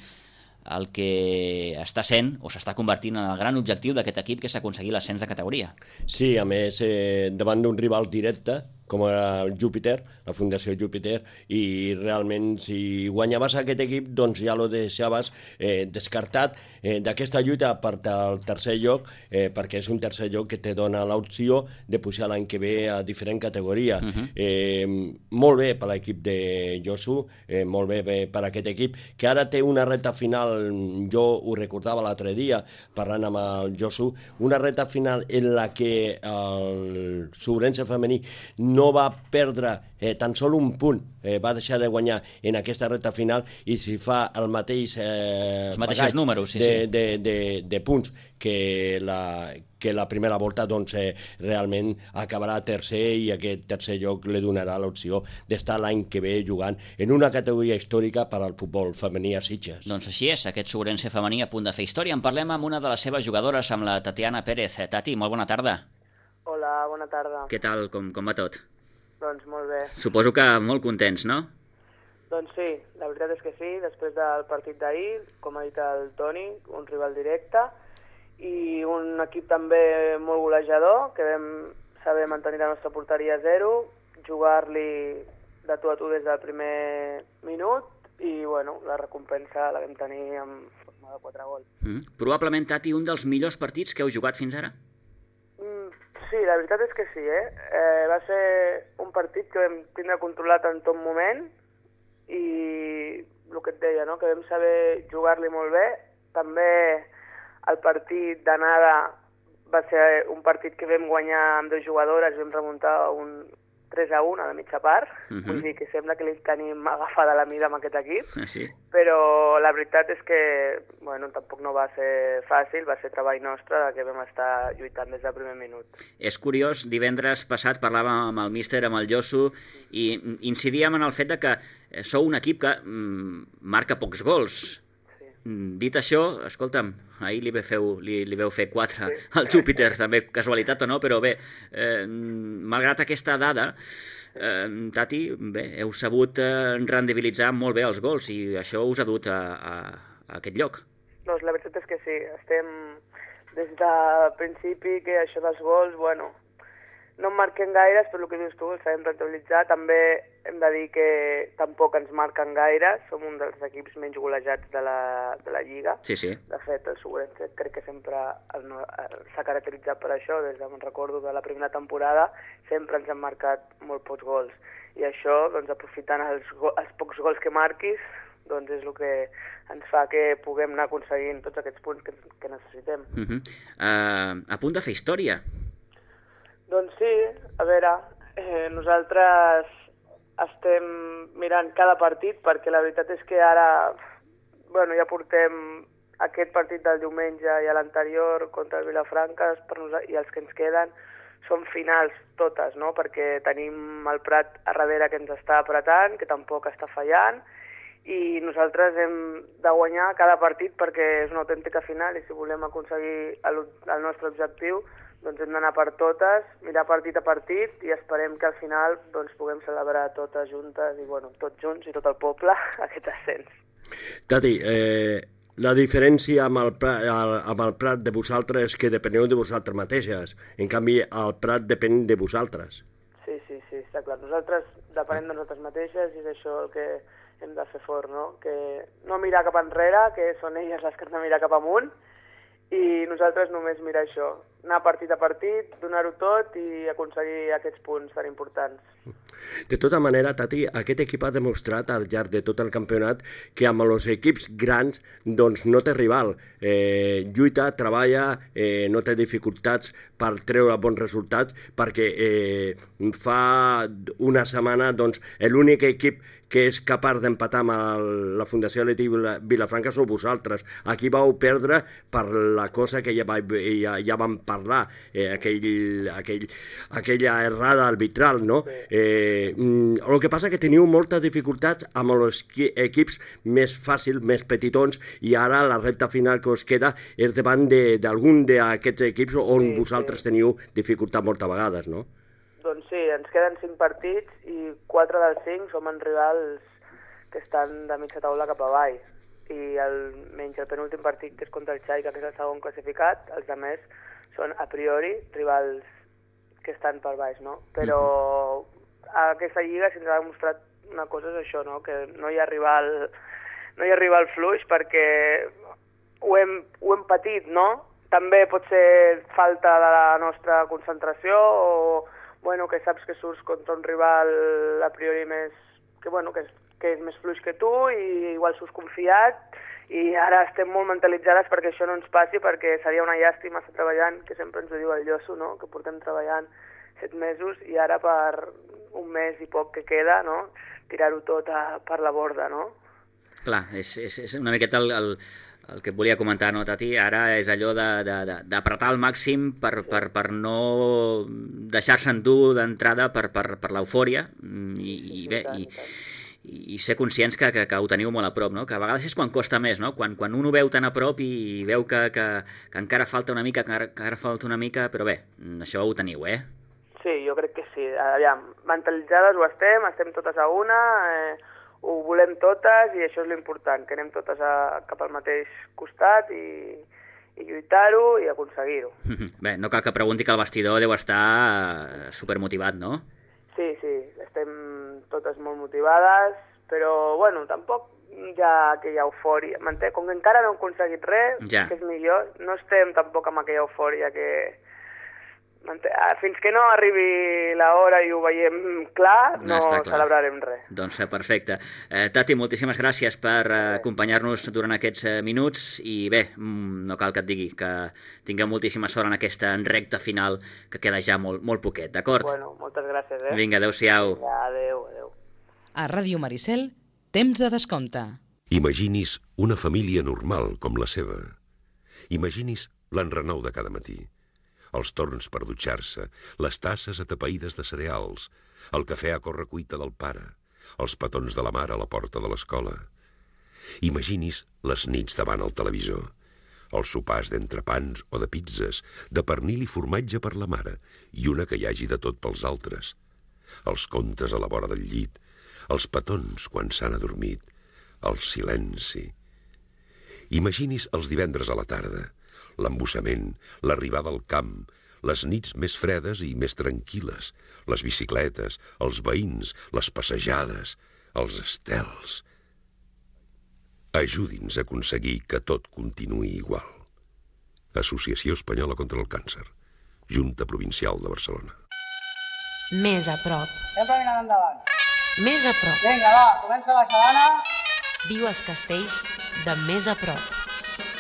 el que està sent o s'està convertint en el gran objectiu d'aquest equip, que és aconseguir l'ascens de categoria. Sí, a més, eh, davant d'un rival directe, com era el Júpiter, la Fundació Júpiter, i realment si guanyaves aquest equip doncs ja lo deixaves eh, descartat eh, d'aquesta lluita per al tercer lloc, eh, perquè és un tercer lloc que te dona l'opció de pujar l'any que ve a diferent categoria. Uh -huh. eh, molt bé per l'equip de Josu, eh, molt bé, bé per aquest equip, que ara té una reta final, jo ho recordava l'altre dia parlant amb el Josu, una reta final en la que el Suburense femení no va perdre eh, tan sol un punt, eh, va deixar de guanyar en aquesta recta final, i si fa el mateix eh, els mateixos números, sí, de, sí. De, de, de punts que la, que la primera volta, doncs eh, realment acabarà tercer, i aquest tercer lloc li donarà l'opció d'estar l'any que ve jugant en una categoria històrica per al futbol femení a Sitges. Doncs així és, aquest Suburense femení a punt de fer història. En parlem amb una de les seves jugadores, amb la Tatiana Pérez. Tati, molt bona tarda. Hola, bona tarda. Què tal, com, com va tot? Doncs molt bé. Suposo que molt contents, no? Doncs sí, la veritat és que sí, després del partit d'ahir, com ha dit el Toni, un rival directe, i un equip també molt golejador, que vam saber mantenir la nostra porteria a zero, jugar-li de tu a tu des del primer minut, i bueno, la recompensa la vam tenir en forma de quatre gols. Mm. Probablement, Tati, un dels millors partits que heu jugat fins ara? Sí, la veritat és que sí, eh? eh? Va ser un partit que vam tindre controlat en tot moment, i el que et deia, no? Que vam saber jugar-li molt bé. També el partit d'anada va ser un partit que vam guanyar amb dues jugadores, vam remuntar un tres a un a la mitja part, uh -huh. Vull dir que sembla que li tenim agafada la mida amb aquest equip, ah, sí. Però la veritat és que bueno, tampoc no va ser fàcil, va ser treball nostre, que vam estar lluitant des del primer minut. És curiós, divendres passat parlàvem amb el míster, amb el Josu, i incidíem en el fet de que sou un equip que mm, marca pocs gols. Sí. dit això, escolta'm, ahir li, feu, li, li veu fer quatre sí. al Júpiter, també casualitat o no, però bé, eh, malgrat aquesta dada, eh, Tati, bé, heu sabut eh, rendibilitzar molt bé els gols i això us ha dut a, a, a aquest lloc. Doncs la veritat és que sí, estem des del principi que això dels gols, bueno, no en marquem gaires, però el que dius tu, el sabem rentabilitzar. També hem de dir que tampoc ens marquen gaire, som un dels equips menys golejats de la, de la Lliga. Sí, sí. De fet, el Segurense crec que sempre s'ha caracteritzat per això, des de, me'n recordo, de la primera temporada, sempre ens han marcat molt pocs gols. I això, doncs, aprofitant els, els pocs gols que marquis, doncs és el que ens fa que puguem anar aconseguint tots aquests punts que, que necessitem. Uh -huh. uh, a punt de fer història. Doncs sí, a veure, eh, nosaltres estem mirant cada partit perquè la veritat és que ara, bueno, ja portem aquest partit del diumenge i l'anterior contra el Vilafranca per nosaltres, i els que ens queden són finals totes, no? Perquè tenim el Prat a darrere que ens està apretant, que tampoc està fallant, i nosaltres hem de guanyar cada partit perquè és una autèntica final i si volem aconseguir el, el nostre objectiu doncs hem d'anar per totes, mirar partit a partit i esperem que al final doncs, puguem celebrar totes juntes i bueno, tots junts i tot el poble aquest ascens. Tati, eh, la diferència amb el, Prat, amb el Prat de vosaltres és que depeneu de vosaltres mateixes, en canvi el Prat depèn de vosaltres. Sí, sí, sí, està clar. Nosaltres depenem de nosaltres mateixes i és això el que hem de fer fort, no? Que no mirar cap enrere, que són elles les que han de mirar cap amunt, i nosaltres només mirar això, anar partit a partit, donar-ho tot i aconseguir aquests punts tan importants. De tota manera, Tati, aquest equip ha demostrat al llarg de tot el campionat que amb els equips grans doncs, no té rival. Eh, lluita, treballa, eh, no té dificultats per treure bons resultats, perquè eh, fa una setmana doncs, l'únic equip que és capaç d'empatar amb el, la Fundació Atlètic Vilafranca sou vosaltres. Aquí vau perdre per la cosa que ja, va, ja, ja vam parlar, eh, aquell, aquell, aquella errada arbitral, no? Eh, el que passa que teniu moltes dificultats amb els equips més fàcils, més petitons, i ara la recta final que us queda és davant d'algun d'aquests equips on sí, vosaltres sí. teniu dificultat moltes vegades, no? Doncs sí, ens queden cinc partits i quatre dels cinc som en rivals que estan de mitja taula cap avall. I el, menys el penúltim partit, que és contra el Xaica, que és el segon classificat, els altres són a priori rivals que estan per baix, no? Però a aquesta lliga se'ns ha demostrat una cosa, és això, no? Que no hi ha rival, no hi ha rival fluix perquè ho hem, ho hem patit, no? També pot ser falta de la nostra concentració o bueno, que saps que surts contra un rival a priori més, que, bueno, que, és, que és més fluix que tu i igual surts confiat i ara estem molt mentalitzades perquè això no ens passi, perquè seria una llàstima estar treballant, que sempre ens ho diu el Llosso, no? Que portem treballant set mesos i ara per un mes i poc que queda, no? Tirar-ho tot a, per la borda, no? Clar, és, és, és una miqueta el, el, el que et volia comentar, no, Tati? Ara és allò d'apretar al màxim per, per, per no deixar-se endur d'entrada per, per, per l'eufòria i, i bé, i, i ser conscients que, que, que ho teniu molt a prop, no? Que a vegades és quan costa més, no? Quan, quan un ho veu tan a prop i veu que, que, que encara falta una mica, que encara, que encara falta una mica, però bé, això ho teniu, eh? Sí, jo crec que sí. Aviam, mentalitzades ho estem, estem totes a una, eh, ho volem totes i això és l'important, que anem totes a, cap al mateix costat i, i lluitar-ho i aconseguir-ho. Bé, no cal que pregunti que el vestidor deu estar supermotivat, no? Sí, sí, estem totes molt motivades, però, bueno, tampoc hi ha aquella eufòria. M'entén? Com que encara no hem aconseguit res, ja. Que és millor, no estem tampoc amb aquella eufòria que... Fins que no arribi l'hora i ho veiem clar, no, no clar. Celebrarem res. Doncs perfecte. Eh, Tati, moltíssimes gràcies per eh, acompanyar-nos durant aquests eh, minuts i bé, no cal que et digui que tinguem moltíssima sort en aquesta recta final que queda ja molt, molt poquet, d'acord? Bueno, moltes gràcies, eh? Vinga, adéu-siau. Vinga, adéu, adéu. A Ràdio Maricel, temps de descompte. Imaginis una família normal com la seva. Imaginis l'enrenou de cada matí. Els torns per dutxar-se, les tasses atapeïdes de cereals, el cafè a correcuita del pare, els petons de la mare a la porta de l'escola. Imagini's les nits davant el televisor, els sopars d'entrepans o de pizzas, de pernil i formatge per la mare i una que hi hagi de tot pels altres, els contes a la vora del llit, els petons quan s'han adormit, el silenci. Imagini's els divendres a la tarda, l'embussament, l'arribada al camp, les nits més fredes i més tranquil·les, les bicicletes, els veïns, les passejades, els estels. Ajudi'ns a aconseguir que tot continuï igual. Associació Espanyola contra el Càncer, Junta Provincial de Barcelona. Més a prop. Sempre mirant endavant. Més a prop. Vinga, va, comença la xalana. Viu els castells de més a prop,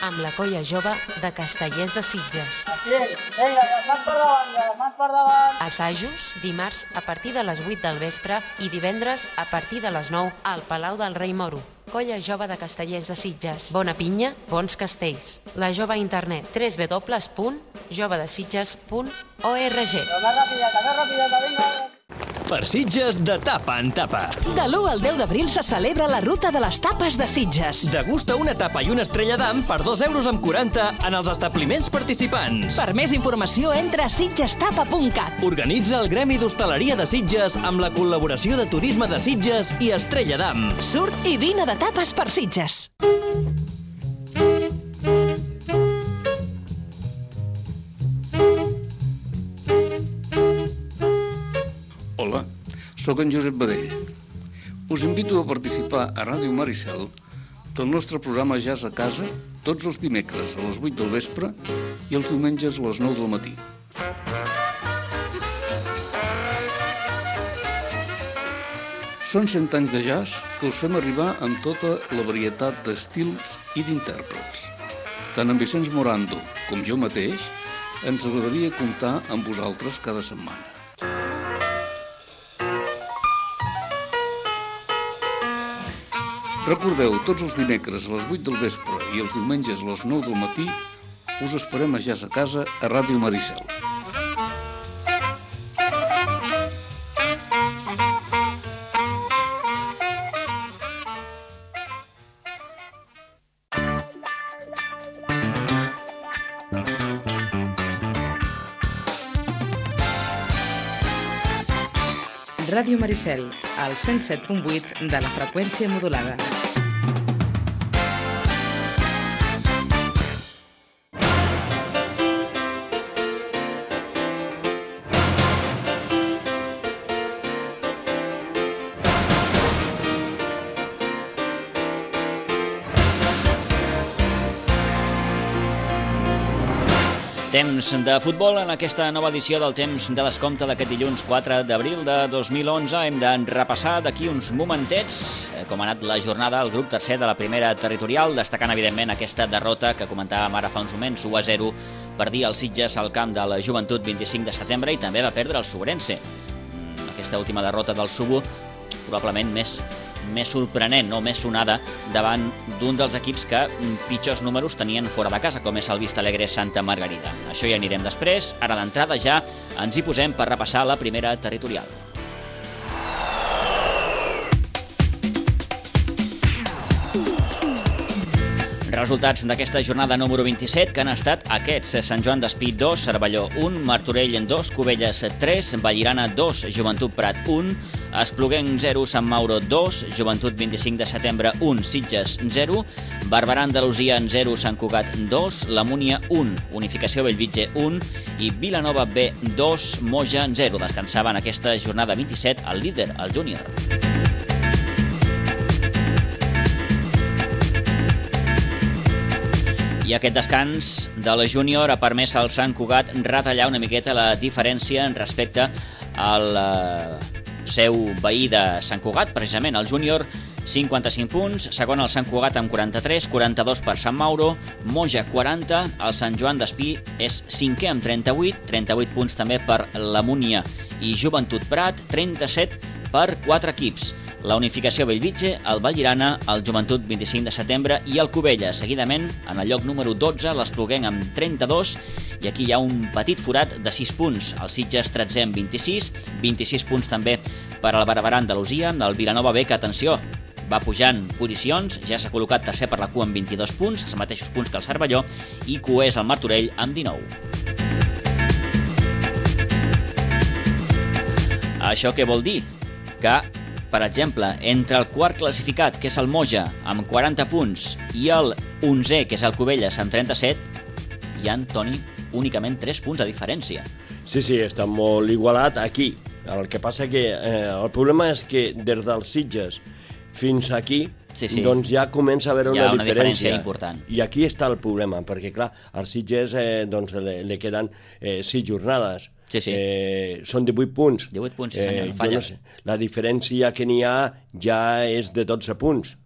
amb la colla jove de Castellers de Sitges. Aquí, vinga, les mans per davant, les mans per davant. Assajos dimarts a partir de les vuit del vespre i divendres a partir de les nou al Palau del Rei Moro. Colla jove de Castellers de Sitges. Bona pinya, bons castells. La jove a internet w w w punt jove de sitges punt org. Però més rapideta, més rapideta, vinga. Per Sitges, de tapa en tapa. De l'u al deu d'abril se celebra la ruta de les tapes de Sitges. Degusta una tapa i una estrella d'am per dos euros amb quaranta en els establiments participants. Per més informació, entra a sitgestapa punt cat. Organitza el Gremi d'Hostaleria de Sitges amb la col·laboració de Turisme de Sitges i Estrella d'Am. Surt i vine de tapes per Sitges. Hola, sóc en Josep Badell. Us invito a participar a Ràdio Maricel del nostre programa Jazz a Casa tots els dimecres a les vuit del vespre i els diumenges a les nou del matí. Són cent anys de jazz que us fem arribar amb tota la varietat d'estils i d'intèrprets. Tant en Vicenç Morando com jo mateix ens agradaria comptar amb vosaltres cada setmana. Recordeu, tots els dimecres a les vuit del vespre i els diumenges a les nou del matí us esperem a Jazz a Casa a Ràdio Maricel. Ràdio Maricel, al cent set punt vuit de la freqüència modulada. Temps de futbol en aquesta nova edició del Temps de Descompte d'aquest dilluns quatre d'abril de dos mil onze. Hem de repassar d'aquí uns momentets com ha anat la jornada al grup tercer de la primera territorial, destacant evidentment aquesta derrota que comentàvem ara fa uns moments, u a zero, per dir el Sitges al camp de la Joventut vint-i-cinc de setembre, i també va perdre el Suberense. Aquesta última derrota del Subo probablement més més sorprenent, no més sonada, davant d'un dels equips que pitjors números tenien fora de casa, com és el Vistalegre Santa Margarida. Això hi anirem després. Ara d'entrada ja ens hi posem per repassar la primera territorial. Resultats d'aquesta jornada número vint-i-set, que han estat aquests: Sant Joan d'Espí dos, Cervelló un, Martorell dos, Cubelles tres, Vallirana dos, Joventut Prat un, Espluguenc zero, Sant Mauro dos, Joventut vint-i-cinc de setembre un, Sitges zero, Barberà Andalusia zero, Sant Cugat dos, La Múnia un, Unificació Bellvitge un i Vilanova B dos, Moja zero. Descansava en aquesta jornada vint-i-set el líder, el Júnior. I aquest descans de la Júnior ha permès al Sant Cugat retallar una miqueta la diferència respecte al eh, seu veí de Sant Cugat, precisament el Júnior, cinquanta-cinc punts, segon el Sant Cugat amb quaranta-tres, quaranta-dos per Sant Mauro, Moja quaranta, el Sant Joan d'Espí és cinquè amb trenta-vuit, trenta-vuit punts també per la Múnia i Joventut Prat, trenta-set per quatre equips. La Unificació Bellvitge, el Vallirana, el Joventut vint-i-cinc de setembre i el Cubelles. Seguidament, en el lloc número dotze, l'Espluguenc amb trenta-dos, i aquí hi ha un petit forat de sis punts. El Sitges tretzè amb vint-i-sis, vint-i-sis punts també per al Barberà Andalusia, el Vilanova B, que, atenció, va pujant posicions, ja s'ha col·locat tercer per la cua amb vint-i-dos punts, els mateixos punts que el Cervelló, i cuer és el Martorell amb dinou. Això què vol dir? Que, per exemple, entre el quart classificat, que és el Moja, amb quaranta punts, i el onzè, que és el Cubelles, amb trenta-set, hi ha, Toni, únicament tres punts de diferència. Sí, sí, està molt igualat aquí. El que passa que eh, el problema és que des dels Sitges fins aquí sí, sí. doncs ja comença a haver una, una diferència. diferència important. I aquí està el problema, perquè clar, als Sitges eh, doncs, le, le queden eh, sis jornades. Sí, sí. Eh, són divuit punts. divuit punts, sí, senyor, no falla. No sé, la diferència que n'hi ha ja és de dotze punts.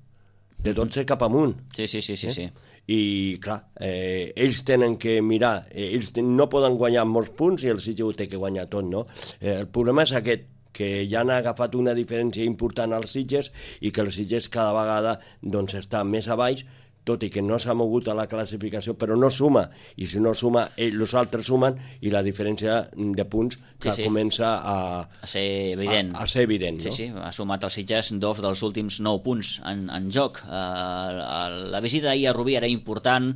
De dotze cap amunt. Sí, sí, sí, sí. Eh? sí. I clar, eh, ells tenen que mirar, eh, ells no poden guanyar molts punts i el Sitges ho té que guanyar tot, no? Eh, el problema és aquest, que ja han agafat una diferència important als Sitges i que els Sitges cada vegada doncs, està més a baix, tot i que no s'ha mogut a la classificació, però no suma, i si no suma, els altres sumen, i la diferència de punts que sí, sí. comença a, a ser evident. A, a ser evident, sí, no? Sí, ha sumat els Sitges dos dels últims nou punts en, en joc. Uh, la visita ahir a Rubí era important,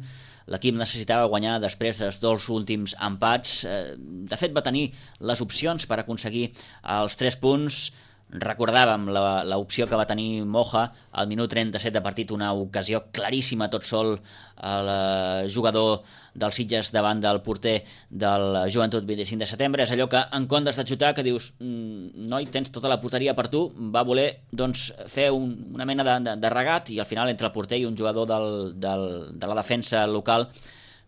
l'equip necessitava guanyar després dels dos últims empats. Uh, de fet, va tenir les opcions per aconseguir els tres punts. Recordàvem l'opció que va tenir Moja al minut trenta-set de partit, una ocasió claríssima tot sol el jugador dels Sitges davant del porter del Joventut vint-i-cinc de setembre. És allò que en comptes de xutar que dius noi, tens tota la porteria per tu, va voler doncs, fer un, una mena de, de, de regat i al final entre el porter i un jugador del, del, de la defensa local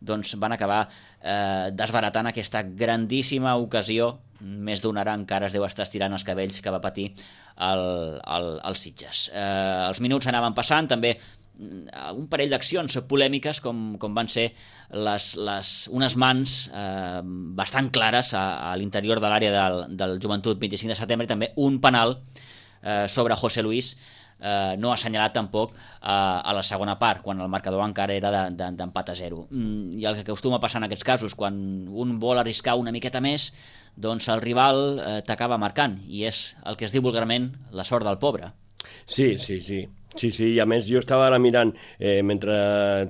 doncs van acabar eh, desbaratant aquesta grandíssima ocasió. Més d'una hora encara es deu estar estirant els cabells que va patir el, el, el Sitges. Eh, els minuts anaven passant, també un parell d'accions polèmiques com, com van ser les, les, unes mans eh, bastant clares a, a l'interior de l'àrea del, del Joventut vint-i-cinc de setembre i també un penal eh, sobre José Luis eh, no assenyalat tampoc eh, a la segona part, quan el marcador encara era d'empat de, de, a zero. Mm, I el que acostuma a passar en aquests casos, quan un vol arriscar una miqueta més, doncs el rival eh, t'acaba marcant, i és el que es diu vulgarment la sort del pobre. Sí, sí, sí. Sí, sí, i a més jo estava ara mirant, eh, mentre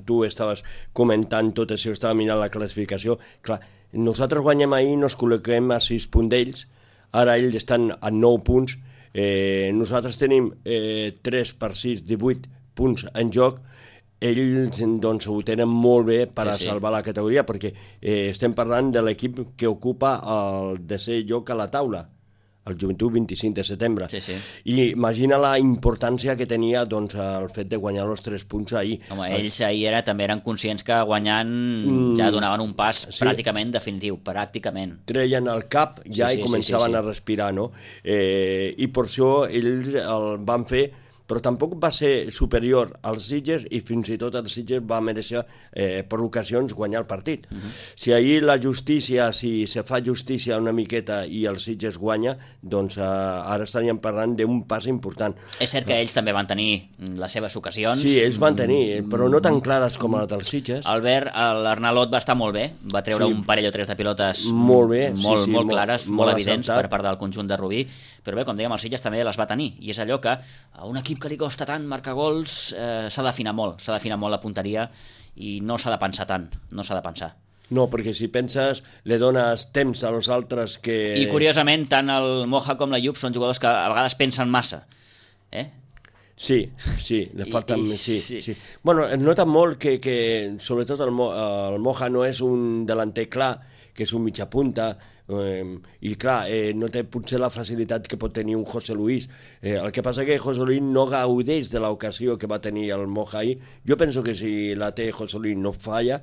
tu estaves comentant tot això, estava mirant la classificació. Clar, nosaltres guanyem ahir, nos col·loquem a sis punts d'ells, ara ells estan a nou punts, eh, nosaltres tenim eh, tres per sis, divuit punts en joc, ells doncs, ho tenen molt bé per sí, a salvar sí. la categoria, perquè eh, estem parlant de l'equip que ocupa el desè lloc a la taula, el Joventut vint-i-cinc de setembre. Sí, sí. I imagina la importància que tenia doncs, el fet de guanyar els tres punts ahir. Home, ells ahir era, també eren conscients que guanyant mm, ja donaven un pas sí. pràcticament definitiu, pràcticament. Treien el cap ja sí, sí, i començaven sí, sí, sí. a respirar, no? Eh, I per això ells el van fer, però tampoc va ser superior als Sitges i fins i tot els Sitges va mereixer eh, per ocasions guanyar el partit. Uh-huh. Si ahir la justícia, si se fa justícia una miqueta i els Sitges guanya, doncs eh, ara estaríem parlant d'un pas important. És cert que ells també van tenir les seves ocasions. Sí, ells van tenir, però no tan clares com les dels Sitges. Albert, l'Arnalot va estar molt bé, va treure sí. un parell o tres de pilotes molt, bé, molt, sí, sí, molt clares, molt, molt evidents acertat. per part del conjunt de Rubí, però bé, com dèiem, els Sitges també les va tenir, i és allò que a un equip que li costa tant marcar gols eh, s'ha d'afinar molt, s'ha d'afinar molt la punteria i no s'ha de pensar tant, no s'ha de pensar. No, perquè si penses, le dones temps a los altres que... I curiosament, tant el Moja com la Llup són jugadors que a vegades pensen massa, eh? Sí, sí, le falten... I, i, sí, sí. sí. Bueno, es nota molt que, que sobretot el, Mo, el Moja no és un delanter clar, que és un mitja punta, eh, i clar, eh, no té potser la facilitat que pot tenir un José Luis. Eh, el que passa que José Luis no gaudeix de l'ocasió que va tenir el Moja ahir. Jo penso que si la té José Luis no falla,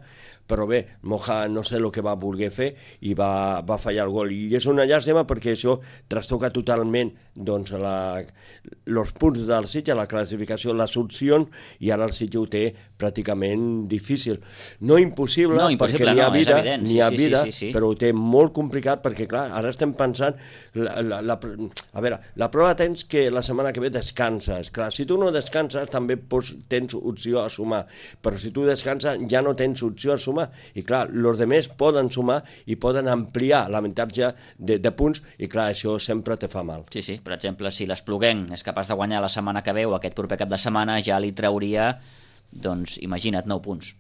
però bé, Moja no sé el que va voler fer i va, va fallar el gol. I és una llàstima perquè això trastoca totalment doncs, la, els punts del Sitges, la classificació, les opcions, i ara el Sitges ho té pràcticament difícil. No impossible, no, impossible perquè n'hi ha no, vida, n'hi sí, ha sí, vida sí, sí, sí. però ho té molt complicat complicat perquè, clar, ara estem pensant... La, la, la, a veure, la prova tens que la setmana que ve descanses. Clar, si tu no descanses també pots, tens opció a sumar, però si tu descanses ja no tens opció a sumar. I clar, els altres poden sumar i poden ampliar l'avantatge de, de punts i clar, això sempre te fa mal. Sí, sí, per exemple, si l'Espluguenc és capaç de guanyar la setmana que ve o aquest proper cap de setmana, ja li trauria, doncs, imagina't, nou punts.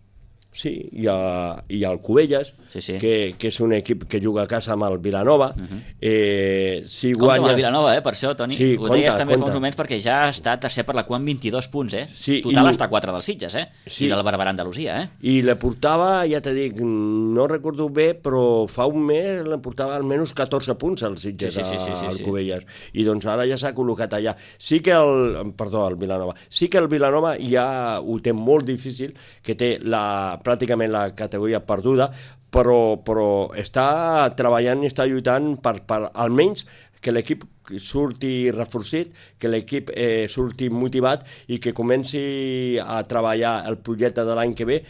Sí, hi ha, hi ha el Cubelles, sí, sí. Que, que és un equip que juga a casa amb el Vilanova. Uh-huh. eh, si compte guanya... amb el Vilanova, eh, per això, Toni. Sí, ho compte, deies també compte. fa uns moments perquè ja està tercer per la cua amb vint-i-dos punts, eh? Sí, total i... està a quatre dels Sitges, eh? Sí. I del Barberà Andalusia, eh? I le portava, ja te dic, no recordo bé, però fa un mes le portava almenys catorze punts als Sitges, sí, sí, sí, sí, sí, al sí. Cubelles. I doncs ara ja s'ha col·locat allà. Sí que el... Perdó, el Vilanova. Sí que el Vilanova ja ho té molt difícil, que té la, pràcticament la categoria perduda, però, però està treballant i està lluitant per, per almenys que l'equip surti reforçat, que l'equip eh, surti motivat i que comenci a treballar el projecte de l'any que ve,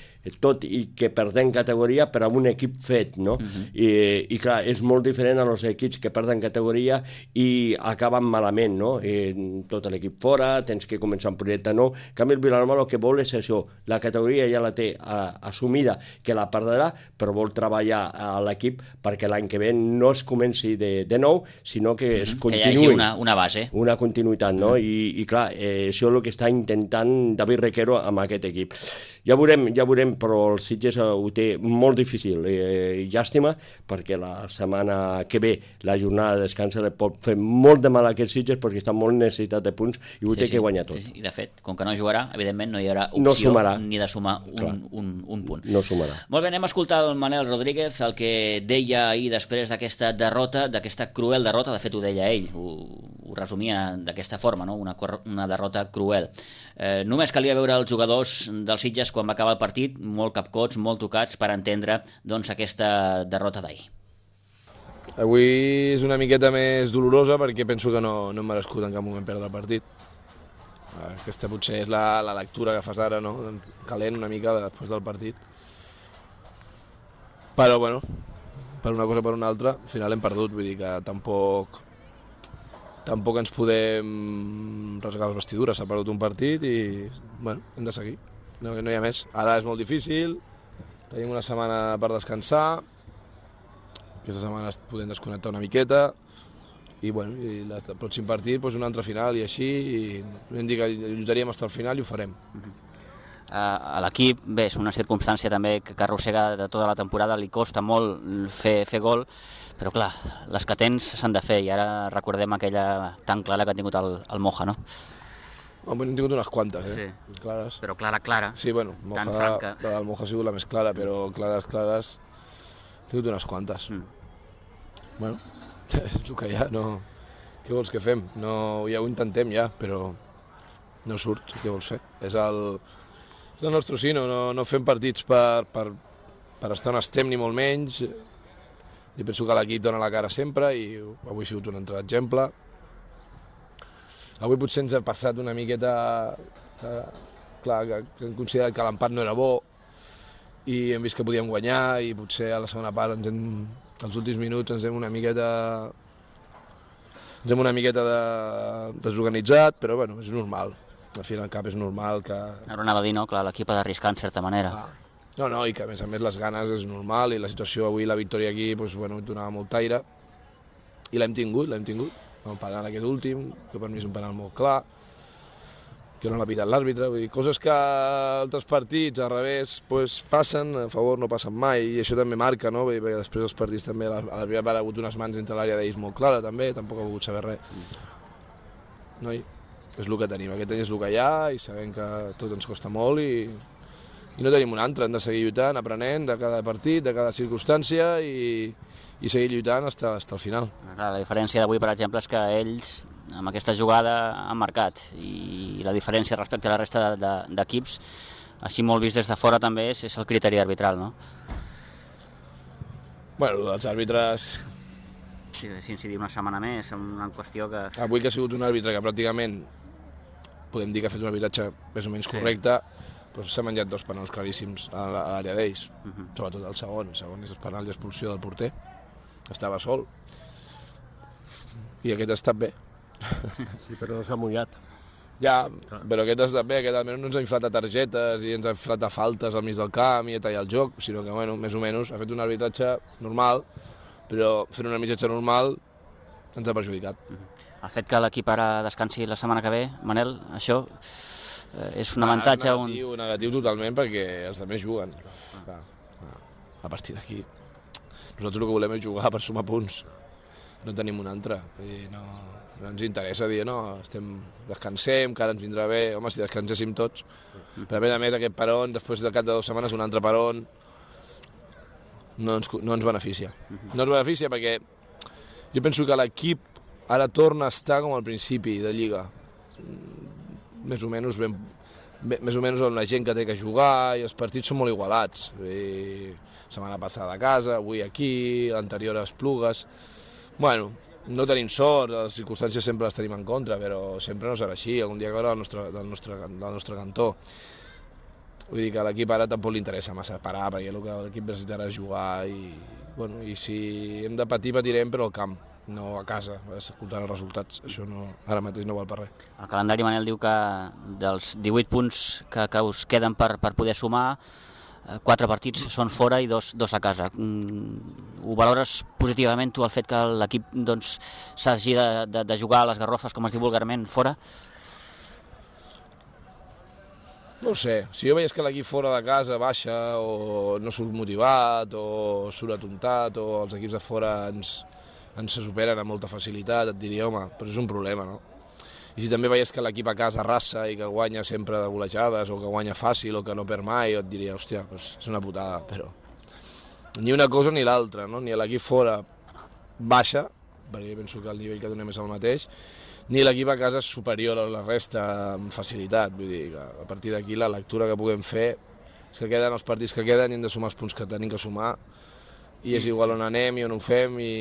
tot i que perdem categoria per a un equip fet, no? Uh-huh. I, I clar, és molt diferent a els equips que perden categoria i acaben malament, no? I tot l'equip fora, tens que començar un projecte nou. En canvi, el Vilanova el que vol és això, la categoria ja la té a, assumida, que la perdrà, però vol treballar a l'equip perquè l'any que ve no es comenci de, de nou, sinó que es uh-huh. continuï. Que hi hagi una, una base. Una continuïtat, no? Uh-huh. I, i clar, eh, això és el que està intentant David Requero amb aquest equip. Ja veurem, ja veurem, però el Sitges ho té molt difícil. Eh, llàstima, perquè la setmana que ve la jornada de descans li pot fer molt de mal a aquest Sitges perquè està molt necessitat de punts i ho sí, té sí, que guanyar tot. Sí, sí. I de fet, com que no jugarà, evidentment no hi haurà opció no ni de sumar un, un, un punt. No sumarà. Molt bé, anem a escoltar el Manel Rodríguez, el que deia ahir després d'aquesta derrota, d'aquesta cruel derrota, de fet ho deia ell, ho, ho resumia d'aquesta forma, no? una, una derrota cruel. Eh, només calia veure els jugadors dels Sitges quan va acabar el partit, molt capcots, molt tocats, per entendre doncs, aquesta derrota d'ahir. Avui és una miqueta més dolorosa perquè penso que no, no hem merescut en cap moment perdre el partit. Aquesta potser és la, la lectura que fas ara, no? Calent una mica després del partit. Però, bueno, per una cosa o per una altra, al final hem perdut, vull dir que tampoc... Tampoc ens podem rasgar les vestidures, s'ha perdut un partit i, bueno, hem de seguir. No, no hi ha més. Ara és molt difícil, tenim una setmana per descansar, aquesta setmana podem desconnectar una miqueta i, bueno, i el pròxim partit doncs un altre final i així, i hem dit que lluitaríem fins al final i ho farem. Uh-huh. Uh, a l'equip, bé, és una circumstància també que arrossega de tota la temporada, li costa molt fer, fer gol, però clar, les que tens s'han de fer i ara recordem aquella tan clara que ha tingut el, el Moja, no? Home, hem tingut unes quantes, eh? Sí. Clares. Però clara, clara. Sí, bueno, Moja, tan franca. La del Moja ha sigut la més clara, però clares, clares, he tingut unes quantes. Mm. Bueno, és el que hi ha, no... Què vols que fem? No, ja ho intentem ja, però no surt, què vols fer? És el, és el nostre sí, no, no, no fem partits per, per, per estar on estem ni molt menys. Jo penso que l'equip dona la cara sempre i avui ha sigut un altre exemple. Avui potser ens ha passat una miqueta... Que, clar, que, que hem considerat que l'empat no era bo i hem vist que podíem guanyar i potser a la segona part, ens hem, als últims minuts, ens hem una miqueta... Ens hem una miqueta de, desorganitzat, però bueno, és normal. Al final al cap és normal que... Ara anava a dir, no? Clar, l'equip ha d'arriscar en certa manera. Clar. No, no, i que a més a més les ganes és normal i la situació avui, la victòria aquí, doncs, bueno, donava molt aire i l'hem tingut, l'hem tingut. El penal aquest últim, que per mi és un penal molt clar, que no l'ha pitat l'àrbitre, vull dir, coses que altres partits al revés pues, passen, a favor no passen mai i això també marca, no? Perquè després els partits també, a l'àrbitre ha hagut unes mans entre l'àrea d'ells molt clara també, tampoc ha volgut saber res. Noi, és el que tenim, aquest any és el que hi ha i sabem que tot ens costa molt i i no tenim un altre, hem de seguir lluitant, aprenent de cada partit, de cada circumstància i, i seguir lluitant fins al final. La diferència d'avui, per exemple, és que ells amb aquesta jugada han marcat i la diferència respecte a la resta d'equips, així molt vist des de fora també, és, és el criteri arbitral, no? Bueno, els àrbitres... Sí, si incidir una setmana més, és una qüestió que... Avui que ha sigut un àrbitre que pràcticament podem dir que ha fet un arbitratge més o menys correcte, sí. Però s'ha menjat dos penals claríssims a l'àrea d'ells, uh-huh. Sobretot el segon, el segon és el penal d'expulsió del porter. estava sol. I aquest ha estat bé. Sí, però no s'ha mullat. Ja, però aquest ha estat bé, aquest almenys no ens ha inflat a targetes i ens ha inflat a faltes al mig del camp i a tallar el joc, sinó que, bueno, més o menys ha fet un arbitratge normal, però fent un arbitratge normal ens ha perjudicat. El fet que l'equip ara descansi la setmana que ve, Manel, això eh, és un avantatge... Ah, és negatiu, un... negatiu totalment, perquè els altres juguen. Ah. A partir d'aquí, nosaltres el que volem és jugar per sumar punts. No tenim un altre. Vull dir, no, no ens interessa dir, no, estem, descansem, que ara ens vindrà bé. Home, si descanséssim tots. Però a més a més, aquest peron, després de cap de dues setmanes, un altre peron, no ens, no ens beneficia. No ens beneficia perquè jo penso que l'equip ara torna a estar com al principi de Lliga. Més o menys ben, més o menys amb la gent que té que jugar i els partits són molt igualats. I setmana passada a casa, avui aquí, l'anterior a Esplugues. Bueno, no tenim sort, les circumstàncies sempre les tenim en contra, però sempre no serà així, algun dia caurà del nostre, del nostre, del nostre cantó. Vull dir que a l'equip ara tampoc li interessa massa parar, perquè el que l'equip necessitarà és jugar i, bueno, i si hem de patir, patirem, però al camp, no a casa, escoltant els resultats. Això no, ara mateix no val per res. El calendari, Manel, diu que dels divuit punts que, que us queden per, per poder sumar, quatre partits són fora i dos, dos a casa. Ho valores positivament tu el fet que l'equip doncs, s'hagi de, de, de jugar a les garrofes, com es diu vulgarment, fora? No ho sé, si jo veiés que l'equip fora de casa baixa o no surt motivat o surt atontat o els equips de fora ens, ens se superen amb molta facilitat, et diria, home, però és un problema, no? I si també veies que l'equip a casa arrasa i que guanya sempre de golejades o que guanya fàcil o que no perd mai, et diria, hòstia, doncs és una putada, però ni una cosa ni l'altra, no? Ni l'equip fora baixa, perquè penso que el nivell que donem és el mateix, ni l'equip a casa és superior a la resta amb facilitat. Vull dir que a partir d'aquí la lectura que puguem fer és que queden els partits que queden i hem de sumar els punts que tenim que sumar i és igual on anem i on ho fem i,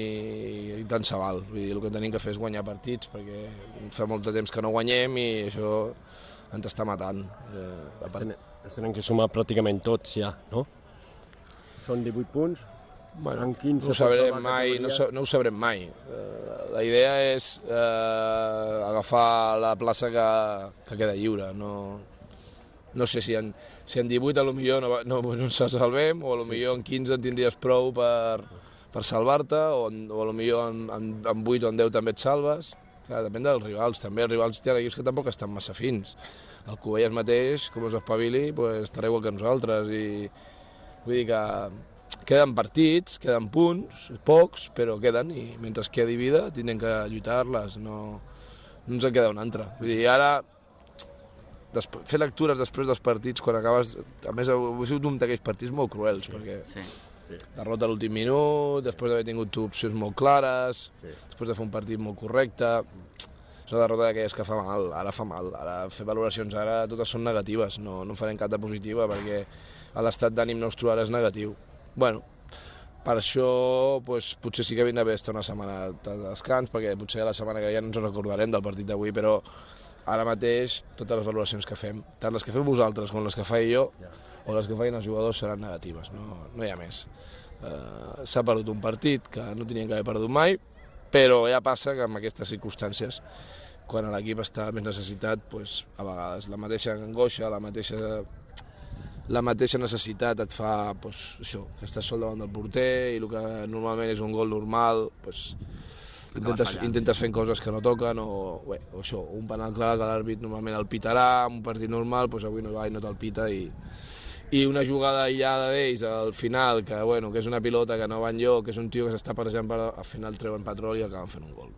i tant se val. Vull dir, el que tenim que fer és guanyar partits perquè fa molt de temps que no guanyem i això ens està matant. Eh, part... Ens tenen que sumar pràcticament tots ja, no? Són divuit punts, bueno, no ho sabrem mai, no, no ho sabrem mai. Uh, la idea és uh, agafar la plaça que, que queda lliure. No, no sé si en, si en divuit a lo millor no, no, no ens salvem o a lo millor en quinze en tindries prou per, per salvar-te o, o a lo millor en, en, en vuit o en deu també et salves. Clar, depèn dels rivals. També els rivals tenen equips que tampoc estan massa fins. El Cubelles mateix, com us espavili, pues, estarà igual que nosaltres i vull dir que queden partits, queden punts, pocs, però queden i mentre quedi vida tindrem que lluitar-les, no, no ens en queda un altre. Vull dir, ara Després, fer lectures després dels partits quan acabes... A més, heu sigut un d'aquells partits molt cruels, sí, perquè sí, sí. derrota a l'últim minut, després d'haver tingut opcions molt clares, sí. després de fer un partit molt correcte... És una derrota d'aquelles que fa mal, ara fa mal. Ara fer valoracions ara totes són negatives, no, no farem cap de positiva perquè l'estat d'ànim nostre ara és negatiu. Bueno, per això pues, potser sí que vindrà bé estar una setmana de descans, perquè potser la setmana que ja no ens recordarem del partit d'avui, però ara mateix totes les valoracions que fem, tant les que feu vosaltres com les que faig jo, o les que facin els jugadors seran negatives, no, no hi ha més. Uh, S'ha perdut un partit que no tenien que haver perdut mai, però ja passa que en aquestes circumstàncies, quan l'equip està més necessitat, pues, a vegades la mateixa angoixa, la mateixa, la mateixa necessitat et fa pues, això, que estàs sol davant del porter i el que normalment és un gol normal, pues, intentes, intentes fent coses que no toquen o, bé, o això, un penal clar que l'àrbit normalment el pitarà, en un partit normal, pues, avui no va i no te'l pita i, i una jugada aïllada d'ells al final, que, bueno, que és una pilota que no va enlloc, que és un tio que s'està parejant, per, al final treuen patrol i acaben fent un gol.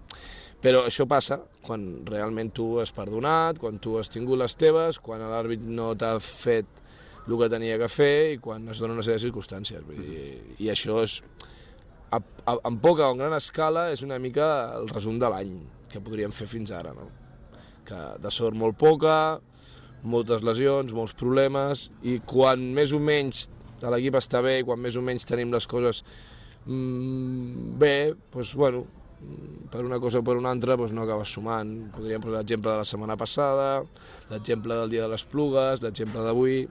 Però això passa quan realment tu has perdonat, quan tu has tingut les teves, quan l'àrbit no t'ha fet el que tenia que fer i quan es dona una sèrie de circumstàncies. Vull dir, i això és, a, a, en poca o en gran escala, és una mica el resum de l'any que podríem fer fins ara. No? Que de sort molt poca, moltes lesions, molts problemes, i quan més o menys l'equip està bé i quan més o menys tenim les coses mmm, bé, doncs, bueno, per una cosa o per una altra doncs no acabes sumant. Podríem posar l'exemple de la setmana passada, l'exemple del dia de les Plugues, l'exemple d'avui.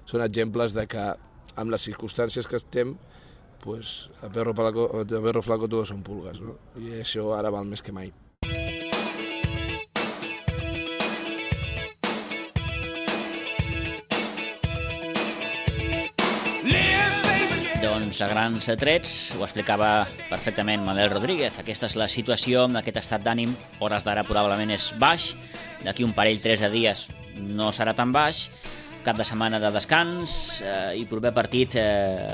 Són exemples de que amb les circumstàncies que estem pues a perro, flaco, a perro flaco todos son pulgas, no? I això ara val més que mai. Doncs a grans trets ho explicava perfectament Manel Rodríguez. Aquesta és la situació, amb aquest estat d'ànim, hores d'ara probablement és baix, d'aquí un parell, tres de dies no serà tan baix, cap de setmana de descans eh, i proper partit eh,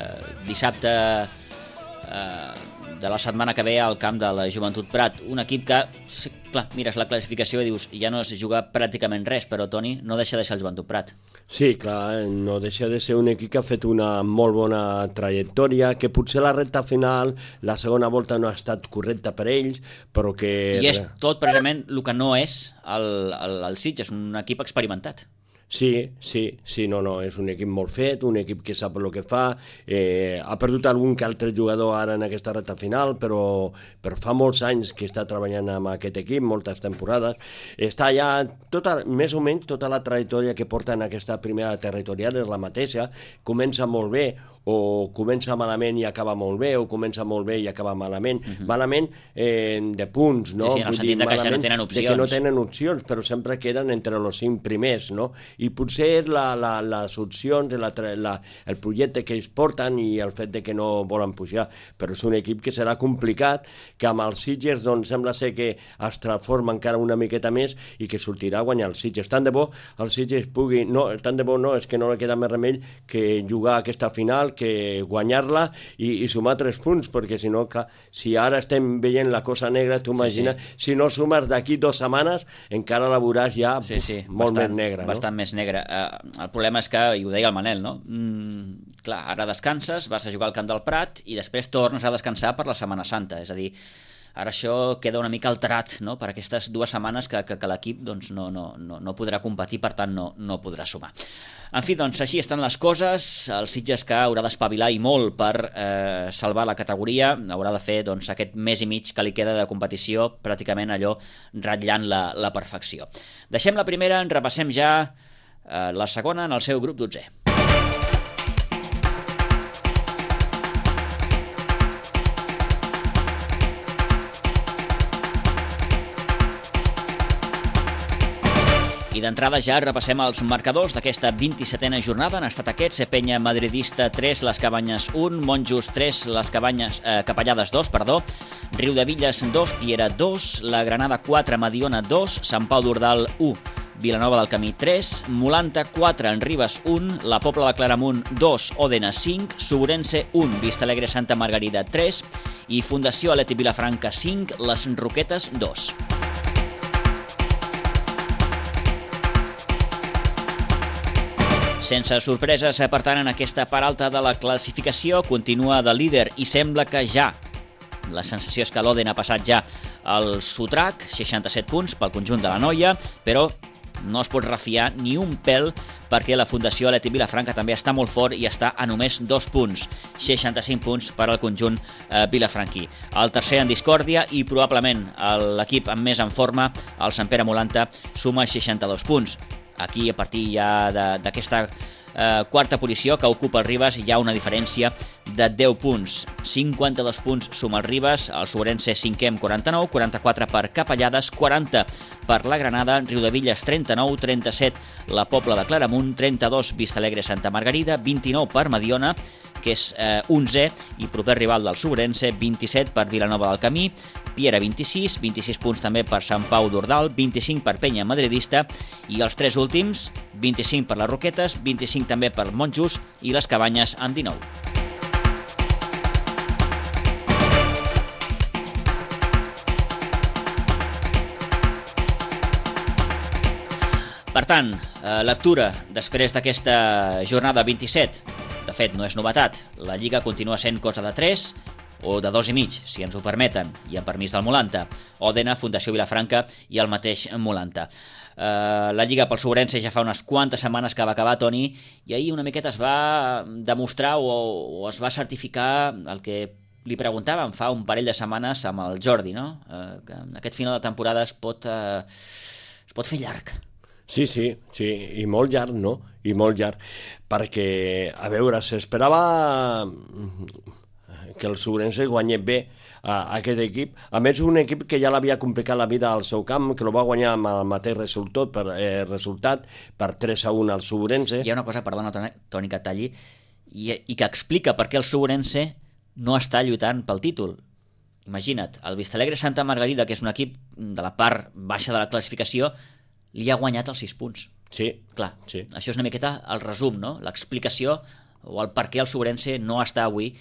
dissabte eh, de la setmana que ve al camp de la Joventut Prat. Un equip que, clar, mires la classificació i dius ja no es juga pràcticament res, però Toni, no deixa de ser el Joventut Prat. Sí, clar, no deixa de ser un equip que ha fet una molt bona trajectòria, que potser la recta final, la segona volta no ha estat correcta per ells, però que... I és tot precisament el que no és el, el, el Sitges, un equip experimentat. Sí, sí, sí, no, no, és un equip molt fet, un equip que sap el que fa, eh, ha perdut algun que altre jugador ara en aquesta recta final, però, però fa molts anys que està treballant amb aquest equip, moltes temporades, està ja, tota, més o menys tota la trajectòria que porta en aquesta primera territorial és la mateixa, comença molt bé, o comença malament i acaba molt bé, o comença molt bé i acaba malament. Uh-huh. Malament eh, de punts, no? Sí, sí, en el sentit de que ja no tenen opcions. De que no tenen opcions, però sempre queden entre els cinc primers, no? I potser és la, la, les opcions, la, la, el projecte que ells porten i el fet de que no volen pujar, però és un equip que serà complicat, que amb els Sitges doncs, sembla ser que es transforma encara una miqueta més i que sortirà a guanyar els Sitges. Tant de bo el Sitges pugui... No, tant de bo no, és que no li queda més remei que jugar aquesta final, que guanyar-la i, i sumar tres punts, perquè si no, clar, si ara estem veient la cosa negra, tu imagina, sí, sí. Si no sumes d'aquí dues setmanes, encara la veuràs ja sí, sí, molt bastant, més negra. No? Bastant més negra. Uh, el problema és que, i ho deia el Manel, no? Mm, clar, ara descanses, vas a jugar al Camp del Prat i després tornes a descansar per la Setmana Santa, és a dir, ara això queda una mica alterat, no?, per aquestes dues setmanes que, que, que l'equip doncs, no, no, no, no podrà competir, per tant no, no podrà sumar. En fi, doncs així estan les coses, el Sitges que haurà d'espavilar i molt per eh, salvar la categoria, haurà de fer doncs, aquest mes i mig que li queda de competició, pràcticament allò ratllant la, la perfecció. Deixem la primera, en repassem ja eh, la segona en el seu grup dotzè. I d'entrada ja repassem els marcadors d'aquesta vint-i-setena jornada. Han estat aquests: Penya Madridista tres, Les Cabanyes un, Monjos tres, Les Cabanyes, eh, Capellades dos, perdó, Riudevilles dos, Piera dos, La Granada quatre, Mediona dos, Sant Pau d'Ordal u, Vilanova del Camí tres, Molanta quatre, en Ribes un, La Pobla de Claramunt dos, Òdena cinc, Suburense un, Vistalegre Santa Margarida tres i Fundació Atlètic Vilafranca cinc, Les Roquetes dos. Sense sorpreses, per tant, en aquesta part alta de la classificació, continua de líder i sembla que ja, la sensació és que l'Òdena ha passat ja al sotrac, seixanta-set punts pel conjunt de la noia, però no es pot refiar ni un pèl perquè la Fundació Atlètic Vilafranca també està molt fort i està a només dos punts, seixanta-cinc punts per al conjunt eh, vilafranquí. El tercer en discòrdia i probablement l'equip amb més en forma, el Sant Pere Molanta, suma seixanta-dos punts. Aquí, a partir ja d'aquesta eh, quarta posició que ocupa el Ribes, hi ha una diferència de deu punts. cinquanta-dos punts suma el Ribes, el Suburense cinquè amb quaranta-nou, quaranta-quatre per Capellades, quaranta per la Granada, Riudevilles trenta-nou, trenta-set la Pobla de Claramunt, trenta-dos Vistalegre Santa Margarida, vint-i-nou per Mediona, que és eh, onzè i proper rival del Suburense, vint-i-set per Vilanova del Camí, Piera vint-i-sis, vint-i-sis punts també per Sant Pau d'Ordal, vint-i-cinc per Penya Madridista i els tres últims, vint-i-cinc per les Roquetes, vint-i-cinc també per Monjos i les Cabanyes amb dinou. Per tant, eh, lectura després d'aquesta jornada vint-i-set. De fet, no és novetat. La Lliga continua sent cosa de tres o de dos i mig, si ens ho permeten, i amb permís del Molanta. Òdena, Fundació Vilafranca i el mateix Molanta. Uh, la Lliga pel Suburense ja fa unes quantes setmanes que va acabar, Toni, i ahir una miqueta es va demostrar o, o es va certificar el que li preguntàvem fa un parell de setmanes amb el Jordi, no? Uh, que en aquest final de temporada es pot, uh, es pot fer llarg. Sí, sí, sí, i molt llarg, no? I molt llarg, perquè, a veure, s'esperava... que el Sobrense guanyés bé a, a aquest equip. A més, un equip que ja l'havia complicat la vida al seu camp, que el va guanyar amb el mateix resultat per, eh, resultat, per tres a un al Sobrense. Hi ha una cosa, perdona, Toni, que talli, i, i que explica per què el Sobrense no està lluitant pel títol. Imagina't, el Vistalegre Santa Margarida, que és un equip de la part baixa de la classificació, li ha guanyat els sis punts. Sí. Clar, sí. Això és una miqueta el resum, no? L'explicació o el per què el Sobrense no està avui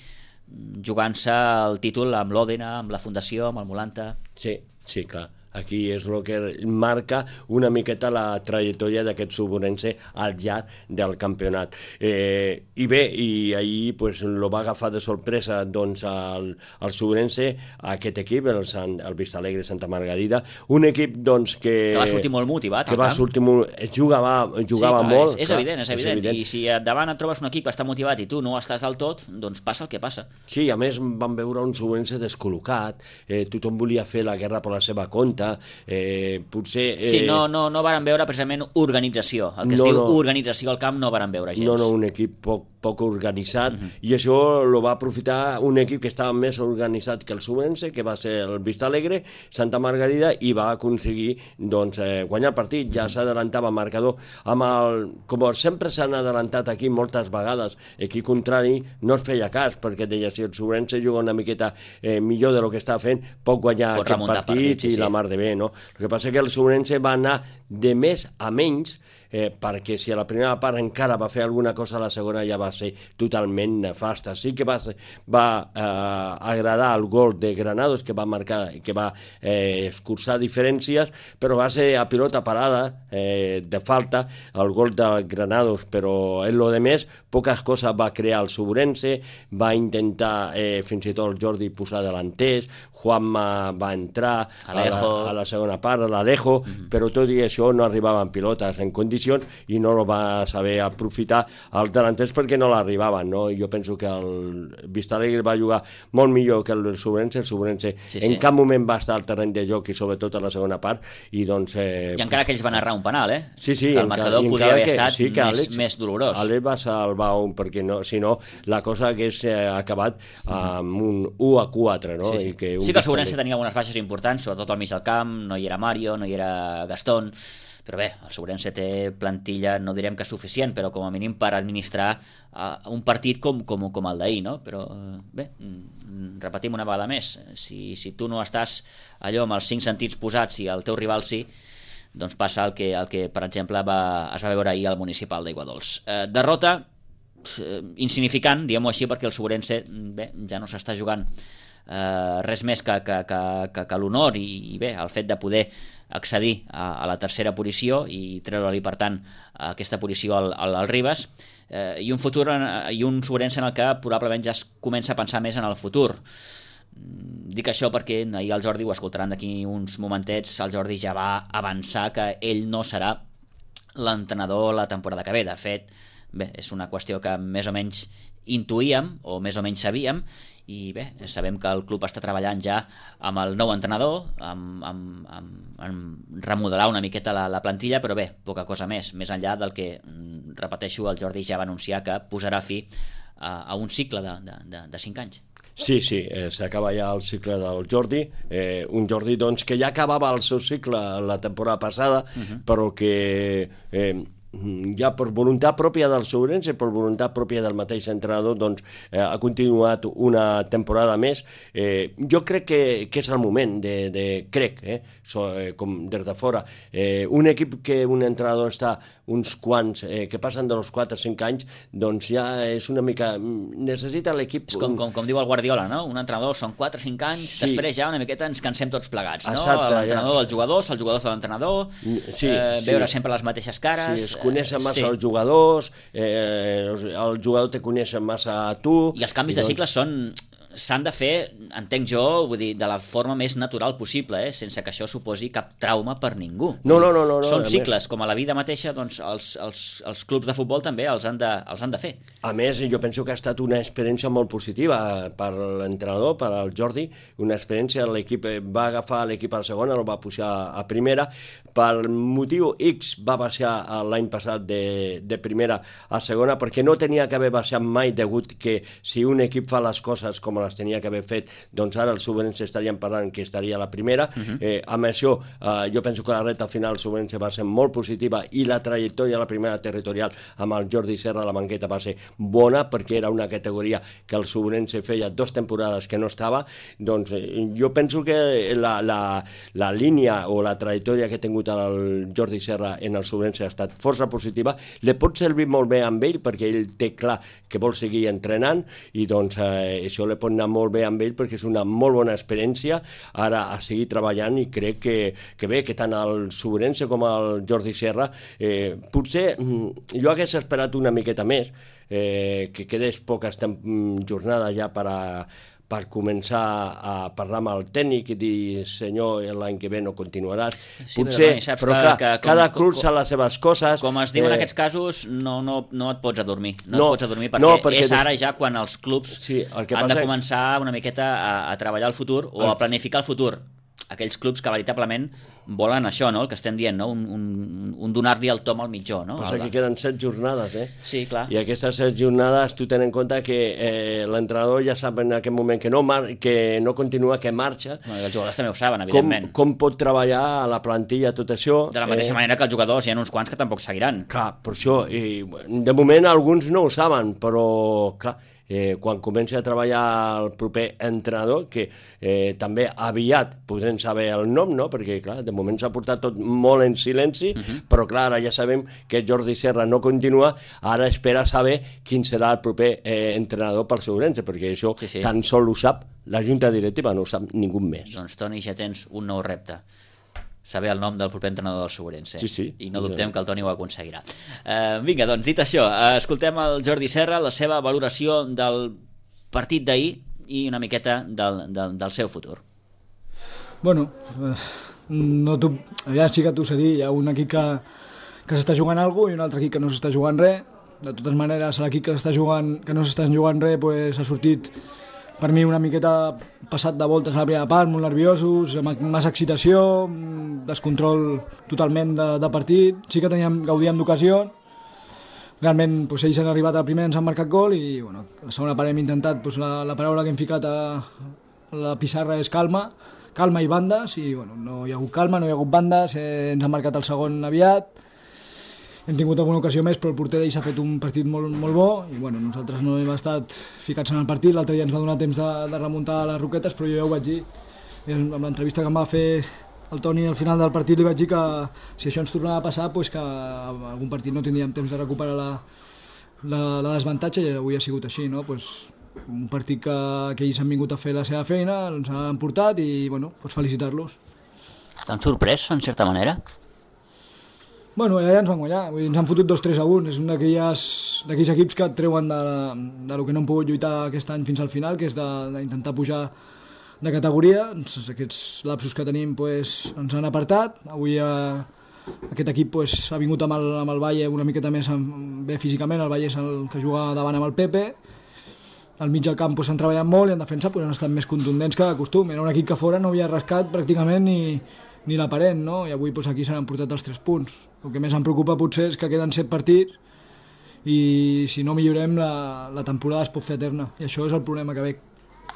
jugant-se el títol amb l'Òdena, amb la Fundació, amb el Molanta. Sí, sí, clar. Aquí és el que marca una miqueta la trajectòria d'aquest Sobrense al llarg del campionat. Eh, I bé, i ahir pues, lo va agafar de sorpresa doncs, el, el Sobrense, aquest equip, el, Sant, el Vistalegre Santa Margarida, un equip doncs, que... Que va sortir molt motivat que va sortir molt, jugava, jugava sí, molt. És, és, clar, evident, és, és evident, evident. I si davant et trobes un equip que està motivat i tu no estàs del tot, doncs passa el que passa. Sí, a més vam veure un Sobrense descol·locat, eh, tothom volia fer la guerra per la seva compte. Eh, potser... Eh... Sí, no, no, no varen veure precisament organització. El que es no, diu no. organització al camp no varen veure gens. No, no, un equip poc, poc organitzat, Mm-hmm. i això lo va aprofitar un equip que estava més organitzat que el Sobrense, que va ser el Vistalegre, Santa Margarida, i va aconseguir doncs, eh, guanyar el partit. Ja s'adelantava el marcador. Amb el, com sempre s'han adelantat aquí moltes vegades, aquí contrari no es feia cas, perquè deia si el Sobrense juga una miqueta eh, millor de lo que està fent, pot guanyar pot aquest partit, partit sí, i sí. la mar de bé, no? El que passa que el Sobrense va anar de més a menys, eh, perquè si a la primera part encara va fer alguna cosa, a la segona ja va ser totalment nefasta. Sí que va, ser, va eh, agradar el gol de Granados, que va marcar, que va eh, escurçar diferències, però va ser a pilota parada, eh, de falta, el gol de Granados, però en lo de més, poques coses va crear el Sobrense, va intentar eh, fins i tot el Jordi posar delanters, Juanma va entrar a la, a la segona part, a l'Alejo, mm-hmm. però tot i això no arribaven pilotes en condicions i no lo va saber aprofitar els delanters perquè no l'arribaven, no? Jo penso que el Vistalegre va jugar molt millor que el Sobrense, el Sobrense sí, sí. en cap moment va estar al terreny de joc i sobretot a la segona part, i doncs... Eh, I encara que ells van errar un penal, eh? Sí, sí. Que el marcador podria haver que, estat sí, més, Àlex, més dolorós. Àlex va salvar un, perquè no, si no, la cosa hagués eh, acabat amb un u a quatre, no? Sí, sí. I que sí que el Sobrense tenia algunes baixes importants, sobretot al mig del camp, no hi era Mario, no hi era Gastón, però bé, el Sobrense té plantilla, no direm que suficient, però com a mínim per administrar uh, un partit com, com, com el d'ahir, no? Però uh, bé, repetim una vegada més, si, si tu no estàs allò amb els cinc sentits posats i el teu rival sí, doncs passa el que, el que per exemple, va, es va veure ahir al Municipal d'Aiguadols. Uh, derrota uh, insignificant, diguem-ho així, perquè el Sobrense bé, ja no s'està jugant Uh, res més que, que, que, que, que l'honor i, i bé, el fet de poder accedir a, a la tercera posició i treure-li per tant aquesta posició al, al, al Ribes, uh, i un futur en, i un Sobrense en el que probablement ja es comença a pensar més en el futur. Dic això perquè ahir el Jordi, ho escoltaran d'aquí uns momentets, el Jordi ja va avançar que ell no serà l'entrenador la temporada que ve. De fet, bé, és una qüestió que més o menys intuïem o més o menys sabíem, i bé, sabem que el club està treballant ja amb el nou entrenador, amb, amb, amb, amb remodelar una miqueta la, la plantilla, però bé, poca cosa més, més enllà del que, repeteixo, el Jordi ja va anunciar que posarà fi a, a un cicle de, de, de, de cinc anys. Sí, sí, eh, s'acaba ja el cicle del Jordi, eh, un Jordi doncs, que ja acabava el seu cicle la temporada passada, uh-huh. però que... Eh, ja per voluntat pròpia del Sobrense, per voluntat pròpia del mateix entrenador, doncs eh, ha continuat una temporada més. Eh, jo crec que, que és el moment de, de crec, eh, so, eh, com des de fora, eh, un equip que un entrenador està uns quants, eh, que passen dels quatre a cinc anys, doncs ja és una mica... necessita l'equip... És com, com, com diu el Guardiola, no? Un entrenador són quatre o cinc anys, sí. Després ja una miqueta ens cansem tots plegats, no? L'entrenador ja. Dels jugadors, el jugador de l'entrenador, sí, eh, sí. veure sempre les mateixes cares... Sí, coneixen massa sí. els jugadors, eh, el jugador te coneixen massa a tu... I els canvis de doncs... cicle són s'han de fer, entenc jo, vull dir, de la forma més natural possible, eh? Sense que això suposi cap trauma per ningú. No, no, no. no, no Són a cicles, més, com a la vida mateixa, doncs els, els, els clubs de futbol també els han de, els han de fer. A més, jo penso que ha estat una experiència molt positiva per l'entrenador, per al Jordi, una experiència, l'equip va agafar l'equip a la segona, el va pujar a primera, per motiu X va baixar l'any passat de, de primera a segona, perquè no tenia que haver baixat mai, degut que si un equip fa les coses com les tenia que haver fet, doncs ara els Subrense estarien parlant que estaria a la primera. Uh-huh. eh, amb això, eh, jo penso que la reta final Subrense va ser molt positiva i la trajectòria a la primera territorial amb el Jordi Serra a la banqueta va ser bona, perquè era una categoria que el Subrense feia dos temporades que no estava. Doncs eh, jo penso que la, la, la línia o la trajectòria que ha tingut el Jordi Serra en el Subrense ha estat força positiva. Le pot servir molt bé amb ell, perquè ell té clar que vol seguir entrenant, i doncs eh, això le pot anar molt bé amb ell, perquè és una molt bona experiència ara a seguir treballant, i crec que, que bé, que tant el Subrense com el Jordi Serra, eh, potser jo hagués esperat una miqueta més, eh, que quedés poques jornades ja per a per començar a parlar amb el tècnic i dir, senyor, l'any que ve no continuaràs. Sí, potser, però, però clar, que, com, cada club fa les seves coses. Com es diu eh... en aquests casos, no, no, no et pots adormir. No, no et pots adormir, perquè, no, perquè és ara ja quan els clubs sí, el que han passa... de començar una miqueta a, a treballar el futur o el... a planificar el futur. Aquells clubs que veritablement volen això, no? El que estem dient, no? Un, un, un donar-li el tom al mitjó, no? Passa que queden set jornades, eh? Sí, clar. I aquestes set jornades tu tens en compte que eh, l'entrenador ja sap en aquest moment que no, mar que no continua, que marxa. No, I els jugadors també ho saben, evidentment. Com, com pot treballar a la plantilla tot això? De la mateixa eh... manera que els jugadors, hi ha uns quants que tampoc seguiran. Clar, per això. I, de moment alguns no ho saben, però clar, Eh, quan comenci a treballar el proper entrenador, que eh, també aviat podrem saber el nom, no? Perquè clar, de moment s'ha portat tot molt en silenci, uh-huh. però clar, ara ja sabem que Jordi Serra no continua, ara espera saber quin serà el proper eh, entrenador pel Subrense, perquè això sí, sí. tan sol ho sap la junta directiva, no ho sap ningú més. Doncs Toni, ja tens un nou repte, saber el nom del proper entrenador del Subrense. Sí, sí. I no dubtem que el Toni ho aconseguirà. Uh, vinga, doncs, dit això, uh, escoltem el Jordi Serra, la seva valoració del partit d'ahir i una miqueta del, del, del seu futur. Bueno, no tu, ja sí que t'ho sé dir, hi ha un equip que, que s'està jugant alguna cosa i un altre equip que no s'està jugant res. De totes maneres, l'equip que s'està jugant, que no s'està jugant res, pues, ha sortit per mi una miqueta passat de voltes a la primera part, molt nerviosos, amb massa excitació, descontrol totalment de, de partit. Sí que teníem, gaudíem d'ocasió. Realment doncs, ells han arribat al primer, ens han marcat gol i bueno, la segona part hem intentat, doncs, la, la paraula que hem ficat a, a la pissarra és calma, calma i bandes, i bueno, no hi ha hagut calma, no hi ha hagut bandes, eh, ens han marcat el segon aviat. Hem tingut alguna ocasió més, però el porter d'ells ha fet un partit molt, molt bo i bueno, nosaltres no hem estat ficats en el partit. L'altre dia ens va donar temps de, de remuntar les Roquetes, però jo ja ho vaig dir. Amb l'entrevista que em va fer el Toni al final del partit li vaig dir que si això ens tornava a passar, doncs que en algun partit no tindríem temps de recuperar la, la, la desavantatge, i avui ha sigut així, no? Pues un partit que, que ells han vingut a fer la seva feina, ens han portat i bueno, pues felicitar-los. T'han sorprès, en certa manera? Bueno, ja ens van guanyar, vull dir, ens han fotut dos tres a un, és un d'aquells equips que et treuen de, de lo que no hem pogut lluitar aquest any fins al final, que és d'intentar pujar de categoria. Aquests lapsos que tenim pues, ens han apartat. Avui eh, aquest equip pues, ha vingut amb el, amb el Valle una miqueta més bé físicament, el Valle és el que juga davant amb el Pepe, al mig del camp s'han treballat molt i en defensa pues, han estat més contundents que de costum. Era un equip que fora no havia rascat pràcticament ni, ni l'aparent, no? I avui pues, aquí s'han portat els tres punts. El que més em preocupa potser és que queden set partits i si no millorem la, la temporada es pot fer eterna, i això és el problema que veig.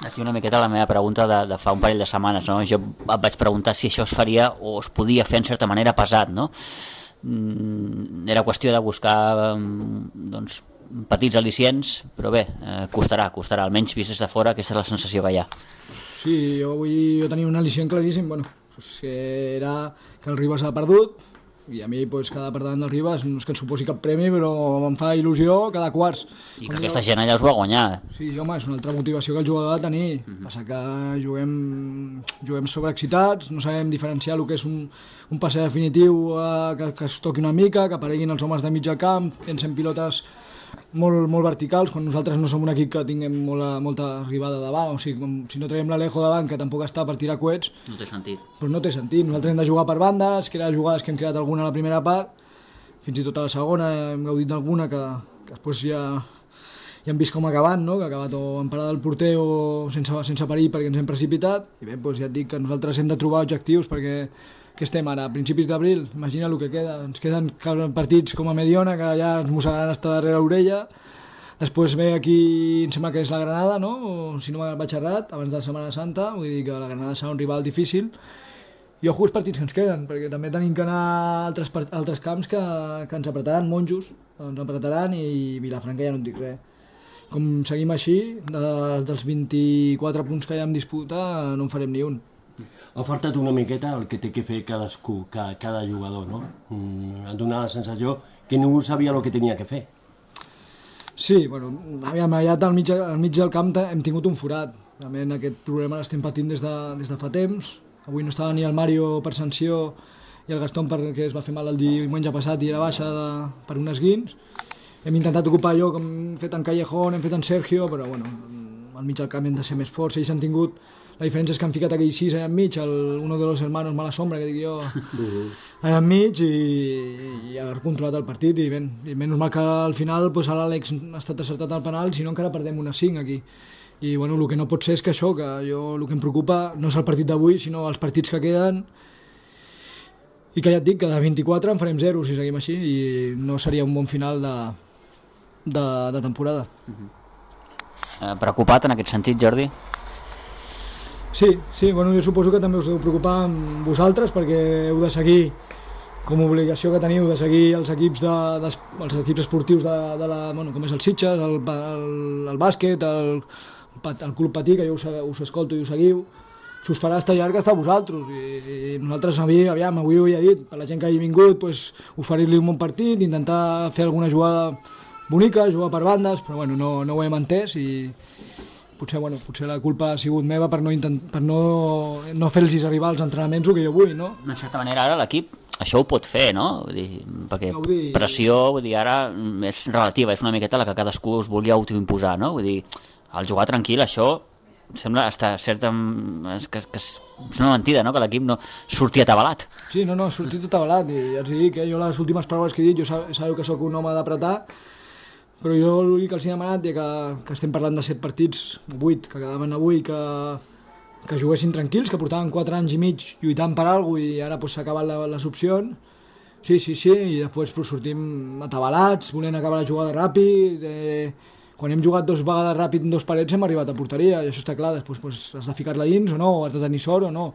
Aquí una miqueta la meva pregunta de, de fa un parell de setmanes, no? Jo et vaig preguntar si això es faria o es podia fer en certa manera pesat, no? Era qüestió de buscar doncs, petits al·licients, però bé, eh, costarà, costarà, almenys vist des de fora, aquesta és la sensació que hi ha. Sí, jo avui jo tenia un al·licient claríssim, bueno, pues que era que el Ribas ha perdut, i a mi pues, quedar per davant del Ribas no és que ens suposi cap premi, però em fa il·lusió cada quarts. I que aquesta gent allà us va guanyar. Sí, home, és una altra motivació que el jugador ha de tenir. Mm-hmm. Passa que juguem, juguem sobreexcitats, no sabem diferenciar el que és un, un passe definitiu, eh, que, que es toqui una mica, que apareguin els homes de mig al camp, llencem pilotes molt, molt verticals, quan nosaltres no som un equip que tinguem molta, molta arribada davant, o sigui, com, si no traiem l'Alejo davant, que tampoc està per tirar coets, No té sentit. doncs no té sentit. Nosaltres hem de jugar per bandes, crear jugades que hem creat alguna a la primera part, fins i tot a la segona hem gaudit d'alguna que, que després ja, ja hem vist com ha acabat, no? Que ha acabat o en parada del porter o sense, sense perill perquè ens hem precipitat, i bé, doncs ja et dic que nosaltres hem de trobar objectius perquè que estem ara a principis d'abril, imagina el que queda, ens queden partits com a Mediona que ja ens mossegaran estar darrere l'orella, després ve aquí, em sembla que és la Granada, no? O, si no vaig errat, abans de la Setmana Santa, vull dir que la Granada serà un rival difícil, i ojo els partits que ens queden, perquè també tenim que anar a altres, altres camps que, que ens apretaran, Monjos, ens apretaran, i Vilafranca ja no et dic res. Com seguim així, de, dels vint-i-quatre punts que hi ha en disputa, no en farem ni un. Ha faltat una miqueta el que té que fer cadascú, cada, cada jugador, no? Mm, ha donat la sensació que ningú sabia el que tenia que fer. Sí, bueno, aviam, allà al mig, al mig del camp hem tingut un forat. Realment aquest problema l'estem patint des de, des de fa temps. Avui no estava ni el Mario per sanció i el Gastón perquè es va fer mal el diumenge passat i era baixa de, per un esguins. Hem intentat ocupar allò que hem fet en Callejón, hem fet en Sergio, però bueno, al mig del camp hem de ser més forts. Ells han tingut... La diferència és que han ficat aquell sis allà enmig, el, uno de los hermanos mala sombra, que dic jo, allà enmig, i, i ha controlat el partit, i, ben, i menys mal que al final pues, l'Àlex ha estat acertat al penal, si no encara perdem una cinc aquí. I bueno, el que no pot ser és que això, que jo el que em preocupa no és el partit d'avui, sinó els partits que queden, i que ja et dic que de vint-i-quatre en farem zero si seguim així, i no seria un bon final de, de, de temporada. Uh-huh. eh, preocupat en aquest sentit, Jordi? Sí, sí, bueno, jo suposo que també us deu preocupar amb vosaltres perquè heu de seguir, com a obligació que teniu, de seguir els equips, de, de, els equips esportius de, de la, bueno, com és el Sitges, el, el, el bàsquet, el, el Club Patí, que jo us, us escolto i us seguiu. Si us farà estar llarg, està a vosaltres. I, i nosaltres, aviam, avui ho he dit, per la gent que hagi vingut, pues, oferir-li un bon partit, intentar fer alguna jugada bonica, jugar per bandes, però bueno, no, no ho hem entès i... Potser, bueno, potser la culpa ha sigut meva per no, intent, per no, no fer-los arribar als entrenaments el que jo vull, no? De certa manera, ara l'equip això ho pot fer, no? Vull dir, perquè dir... pressió, vull dir, ara és relativa, és una miqueta la que cadascú us vulgui autoimposar, no? Vull dir, al jugar tranquil, això sembla estar certa... És que, que és una mentida, no? Que l'equip no surti atabalat. Sí, no, no, surti tot atabalat, i ja us dic, eh? Jo les últimes paraules que he dit, jo sabeu que sóc un home d'apretar, però jo l'únic que els he demanat, ja que, que estem parlant de set partits, vuit, que quedaven avui, que, que juguessin tranquils, que portaven quatre anys i mig lluitant per alguna cosa i ara pues, s'ha acabat la, les opcions. Sí, sí, sí, i després pues, sortim atabalats, volent acabar la jugada ràpid. Eh, quan hem jugat dos vegades ràpid en dos parets hem arribat a porteria, i això està clar, després pues, has de ficar-la dins o no, has de tenir sort o no.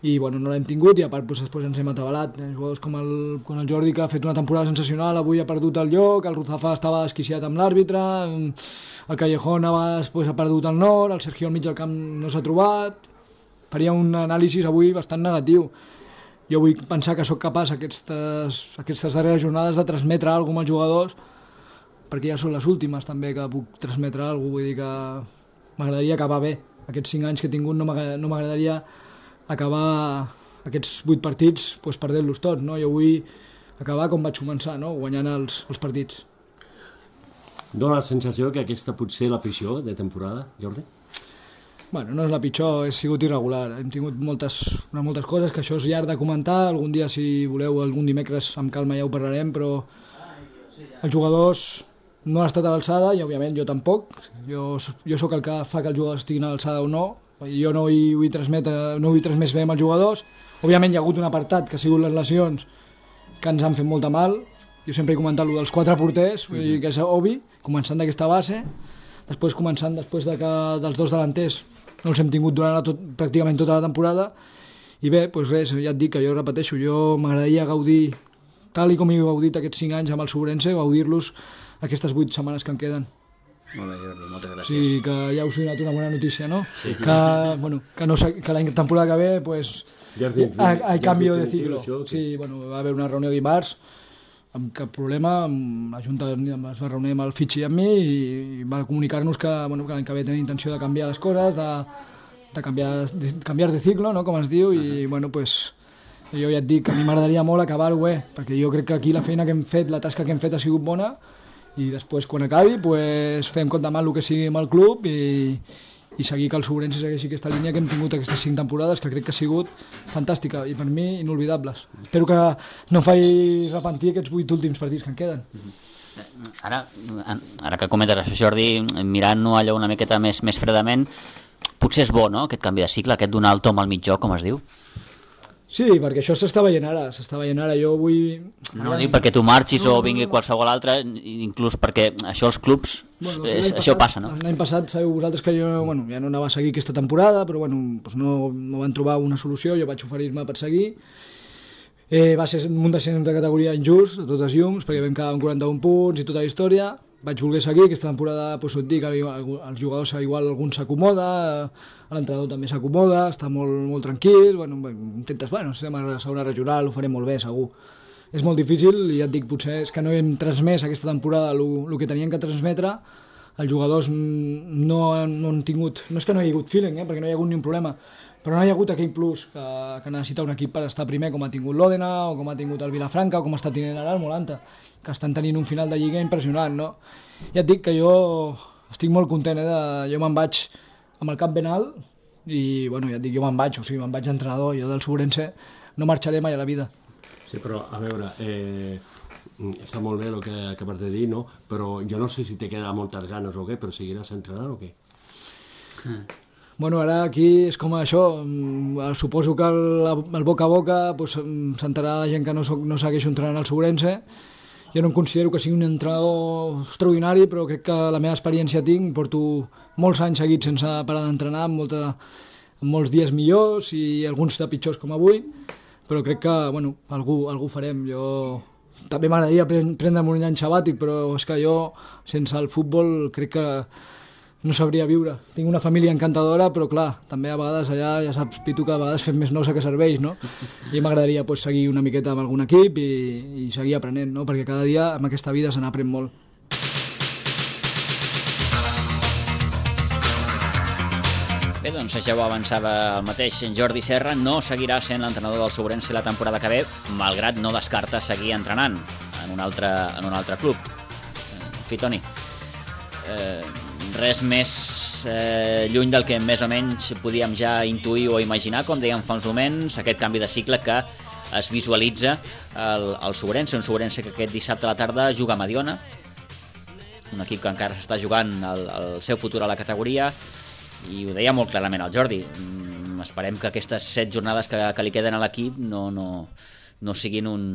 I bueno, no l'hem tingut i a part pues, després ens hem atabalat. Eh, jugadors com el, com el Jordi, que ha fet una temporada sensacional, avui ha perdut el lloc, el Ruzafa estava desquiciat amb l'àrbitre, el Callejón abans pues, ha perdut el nord, el Sergio al mig del camp no s'ha trobat. Faria un anàlisi avui bastant negatiu. Jo vull pensar que sóc capaç aquestes, aquestes darreres jornades de transmetre alguna cosa als jugadors, perquè ja són les últimes també que puc transmetre alguna cosa, vull dir que m'agradaria acabar bé. Aquests cinc anys que he tingut no m'agradaria acabar aquests vuit partits pues, perdent-los tots, no? Jo vull acabar com vaig començar, no? Guanyant els, els partits. Dóna la sensació que aquesta pot ser la pitjor de temporada, Jordi? Bueno, no és la pitjor, he sigut irregular. Hem tingut moltes, moltes coses, que això és llarg de comentar. Algun dia, si voleu, algun dimecres amb calma ja ho parlarem, però els jugadors no han estat a l'alçada i, òbviament, jo tampoc. Jo, jo sóc el que fa que els jugadors estiguin a l'alçada o no. Jo no hi vull transmetre, no vull transmetre bé amb els jugadors. Òbviament hi ha hagut un apartat que ha sigut les lesions que ens han fet molta mal. Jo sempre he comentat el dels quatre porters, vull dir que és obvi, començant d'aquesta base, després començant després de que dels dos delanters no els hem tingut durant la tot, pràcticament tota la temporada, i bé, doncs res, ja et dic que jo repeteixo, jo m'agradaria gaudir, tal i com he gaudit aquests cinc anys amb el Sobrense, gaudir-los aquestes vuit setmanes que em queden. Molt bé, Jordi, moltes gràcies. Sí, que ja us he donat una bona notícia, no? Sí. Que, bueno, que, no, que la temporada que ve, pues, Jordi, hay, hay Jordi, cambio de Jordi, ciclo. això, sí, bueno, va haver una reunió dimarts, amb cap problema, amb la Junta es va reunir amb el Fitxi i amb mi i va comunicar-nos que, bueno, que l'any que ve tenen intenció de canviar les coses, de, de, canviar, de canviar de ciclo, no? Com es diu, i bueno, pues, jo ja et dic que a mi m'agradaria molt acabar-ho bé, perquè jo crec que aquí la feina que hem fet, la tasca que hem fet ha sigut bona, i després quan acabi pues, fem compte mal el que sigui amb el club i, i seguir que el Sobrense segueixi aquesta línia que hem tingut aquestes cinc temporades, que crec que ha sigut fantàstica i per mi inolvidables. Espero que no em faci repentir aquests vuit últims partits que em queden. Ara, ara que comentes això, Jordi, mirant-ho allò una miqueta més, més fredament, potser és bo, no?, aquest canvi de cicle, aquest donar el tom al mitjó, com es diu? Sí, perquè això s'està veient ara, s'està veient ara, jo vull... No dic perquè tu marxis no, o vingui qualsevol altre, inclús perquè això els clubs, bueno, és, això passat, passa, no? L'any passat sabeu vosaltres que jo bueno, ja no anava a seguir aquesta temporada, però bueno, doncs no, no van trobar una solució, jo vaig oferir-me per seguir. Eh, va ser un descens de categoria injust, a totes llums, perquè vam quedar amb quaranta-un punts i tota la història. Vaig voler seguir, aquesta temporada doncs, et dic, els jugadors igual algun s'acomoda, l'entrenador també s'acomoda, està molt, molt tranquil, bueno, intentes, bueno, estem a la segona regional, ho farem molt bé, segur. És molt difícil i ja et dic, potser és que no hem transmès aquesta temporada el que tenien que transmetre, els jugadors no, no han tingut, no és que no hi ha hagut feeling, eh, perquè no hi ha hagut ni un problema, però no hi ha hagut aquell plus que, que necessita un equip per estar primer, com ha tingut l'Òdena, o com ha tingut el Vilafranca, o com està tenint ara el Molanta, que estan tenint un final de lliga impressionant, no? Ja et dic que jo estic molt content, eh, de, jo me'n vaig amb el cap ben alt i, bueno, ja et dic, jo me'n vaig, o sigui, me'n vaig d'entrenador, jo del Sobrense no marxaré mai a la vida. Sí, però, a veure, eh, està molt bé el que acabes de dir, no? Però jo no sé si te queda moltes ganes o què, però seguiràs entrenant o què? Mm. Bueno, ara aquí és com això, suposo que el, el boca a boca pues, s'enterarà la gent que no, soc, no segueixo entrenant al Sobrense. Jo no em considero que sigui un entrenador extraordinari, però crec que la meva experiència tinc, porto molts anys seguits sense parar d'entrenar, amb, molta, amb molts dies millors i alguns de pitjors com avui, però crec que bueno, algú, algú farem. Jo també m'agradaria prendre'm un any sabàtic, però és que jo sense el futbol crec que no sabria viure. Tinc una família encantadora, però clar, també a vegades allà, ja saps, Pitu, que a vegades fem més nosa que serveis, no? I m'agradaria pues, seguir una miqueta amb algun equip i, i seguir aprenent, no? Perquè cada dia amb aquesta vida se n'aprèn molt. Bé, doncs ja ho avançava el mateix Jordi Serra, no seguirà sent l'entrenador del Sobrense la temporada que ve, malgrat no descarta seguir entrenant en un altre, en un altre club. En fi, Toni, eh, res més eh, lluny del que més o menys podíem ja intuir o imaginar, com dèiem fa uns moments, aquest canvi de cicle que es visualitza al, al Sobrense, un Sobrense que aquest dissabte a la tarda juga a Mediona, un equip que encara s'està jugant el, el seu futur a la categoria, i ho deia molt clarament el Jordi, mm, esperem que aquestes set jornades que, que li queden a l'equip no, no, no siguin un,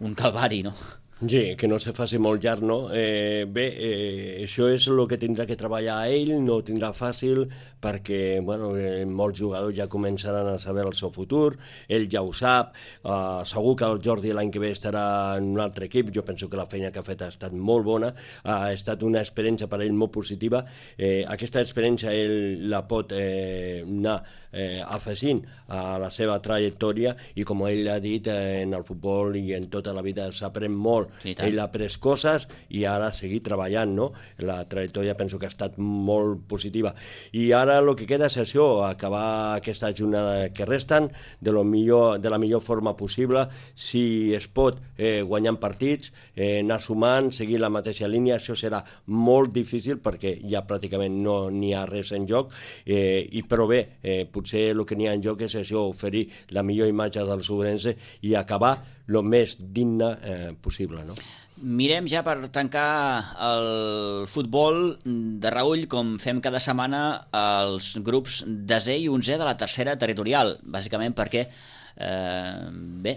un calvari, no? Sí, que no se faci molt llarg, no? Eh, bé, eh, això és el que tindrà que treballar ell, no ho tindrà fàcil, perquè bueno, eh, molts jugadors ja començaran a saber el seu futur, ell ja ho sap, eh, segur que el Jordi l'any que ve estarà en un altre equip, jo penso que la feina que ha fet ha estat molt bona, ha estat una experiència per ell molt positiva, eh, aquesta experiència ell la pot eh, anar eh, afegint a la seva trajectòria i com ell ha dit, eh, en el futbol i en tota la vida s'aprèn molt. Sí, ell ha après coses i ara seguir treballant, no? La trajectòria penso que ha estat molt positiva. I ara el que queda és això, acabar aquesta jornada que resten de, lo millor, de la millor forma possible, si es pot eh, guanyant partits, eh, anar sumant, seguir la mateixa línia, això serà molt difícil perquè ja pràcticament no n'hi ha res en joc, eh, i però bé, eh, potser el que n'hi ha en joc és això, oferir la millor imatge del Sobrense i acabar el més digne eh, possible, no? Mirem ja per tancar el futbol de Raül, com fem cada setmana, els grups desè i onzè de la tercera territorial, bàsicament perquè eh, bé,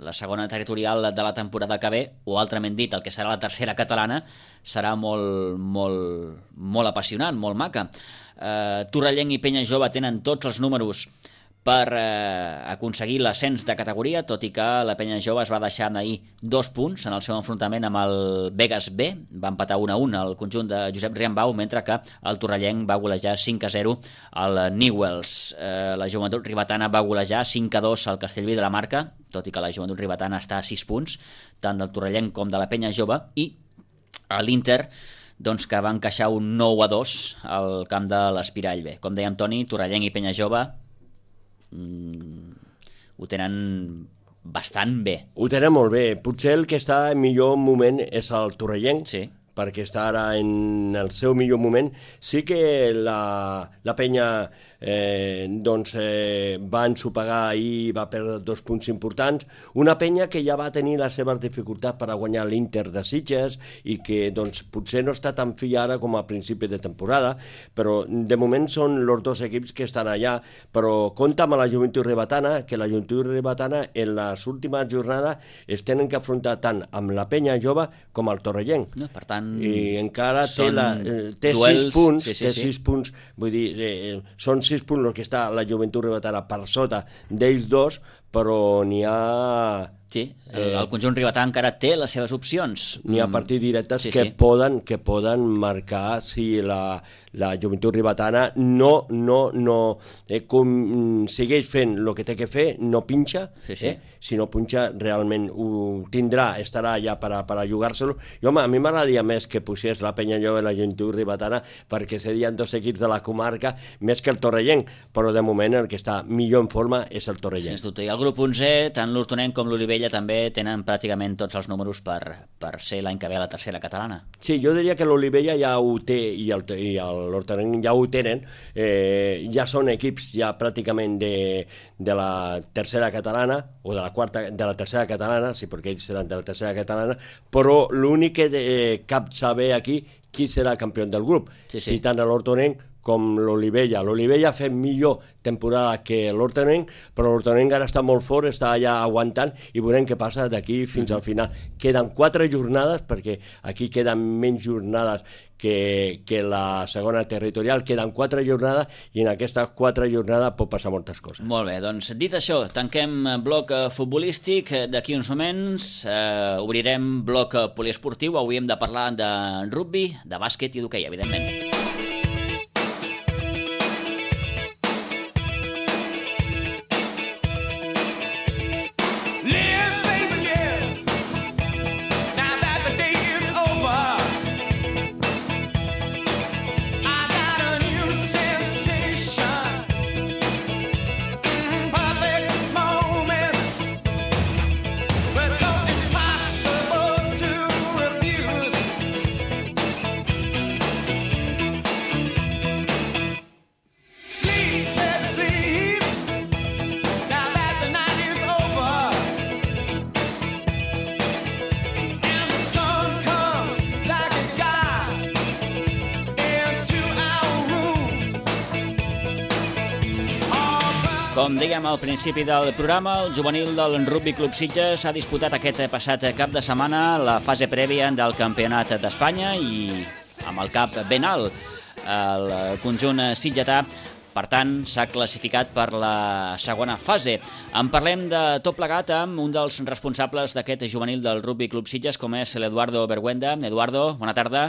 la segona territorial de la temporada que ve, o altrament dit, el que serà la tercera catalana, serà molt, molt, molt apassionant, molt maca. Eh, Torrellenc i Penya Jove tenen tots els números per eh, aconseguir l'ascens de categoria, tot i que la Penya Jove es va deixar ahir dos punts en el seu enfrontament amb el Vegas B, va empatar un a un al conjunt de Josep Riambau, mentre que el Torrellenc va golejar cinc a zero al Newells. Eh, la Joventut Ribetana va golejar cinc a dos al Castellví de la Marca, tot i que la Joventut Ribetana està a sis punts, tant del Torrellenc com de la Penya Jove, i a l'Inter, doncs, que va encaixar un nou a dos al camp de l'Espirall B. Com dèiem, Toni, Torrellenc i Penya Jove Mm, ho tenen bastant bé. Ho tenen molt bé. Potser el que està en millor moment és el Torrellenc, sí. perquè està ara en el seu millor moment. Sí que la, la penya eh, doncs, eh, va ensopegar ahir, va perdre dos punts importants. Una penya que ja va tenir les seves dificultats per a guanyar l'Inter de Sitges i que doncs, potser no està tan fi ara com a principi de temporada, però de moment són els dos equips que estan allà, però compta amb la Joventut Ribetana, que la Joventut Ribetana en les últimes jornades es tenen que afrontar tant amb la penya jove com el Torrellenc. No, per tant, i encara té, són la, eh, té duels, sis punts, sí, sí, té sí. sis punts, vull dir, eh, són sis punts els que està la Joventut Ribetana per sota d'ells dos, però n'hi ha... Sí, el, el conjunt ribetà encara té les seves opcions. N'hi ha partits directes sí, que, sí. Poden, que poden marcar si la, la Joventut Ribetana no, no, no eh, com, segueix fent el que té que fer, no pinxa, sí, sí. Eh? Si no punxa realment ho tindrà, estarà allà per a, per a jugar-se-lo. I home, a mi m'agradaria més que posés la penya jove i la Joventut Ribetana perquè serien dos equips de la comarca més que el Torrellenc, però de moment el que està millor en forma és el Torrellenc. Sens dubte. I el grup onzè, tant l'Hortonenc com l'Olivella també tenen pràcticament tots els números per, per ser l'any que ve a la tercera catalana. Sí, jo diria que l'Olivella ja ho té i l'Hortonenc ja ho tenen, eh, ja són equips ja pràcticament de, de la tercera catalana o de la quarta, de la tercera catalana, sí, perquè ells seran de la tercera catalana, però l'únic que eh, cap saber aquí qui serà campió del grup, sí, sí. si tant l'Hortonenc com l'Olivella. L'Olivella ha fet millor temporada que l'Hortonenc, però l'Hortonenc ara està molt fort, està allà aguantant i veurem què passa d'aquí fins al final. Queden quatre jornades, perquè aquí queden menys jornades que, que la segona territorial, queden quatre jornades i en aquestes quatre jornades pot passar moltes coses. Molt bé, doncs dit això, tanquem bloc futbolístic. D'aquí uns moments eh, obrirem bloc poliesportiu. Avui hem de parlar de rugby, de bàsquet i d'hoquei, evidentment. Com dèiem al principi del programa, el juvenil del Rugby Club Sitges ha disputat aquest passat cap de setmana la fase prèvia del Campionat d'Espanya i amb el cap ben alt. El conjunt sitgetà, per tant, s'ha classificat per la segona fase. En parlem de tot plegat amb un dels responsables d'aquest juvenil del Rugby Club Sitges, com és l'Eduardo Berguenda. Eduardo, bona tarda.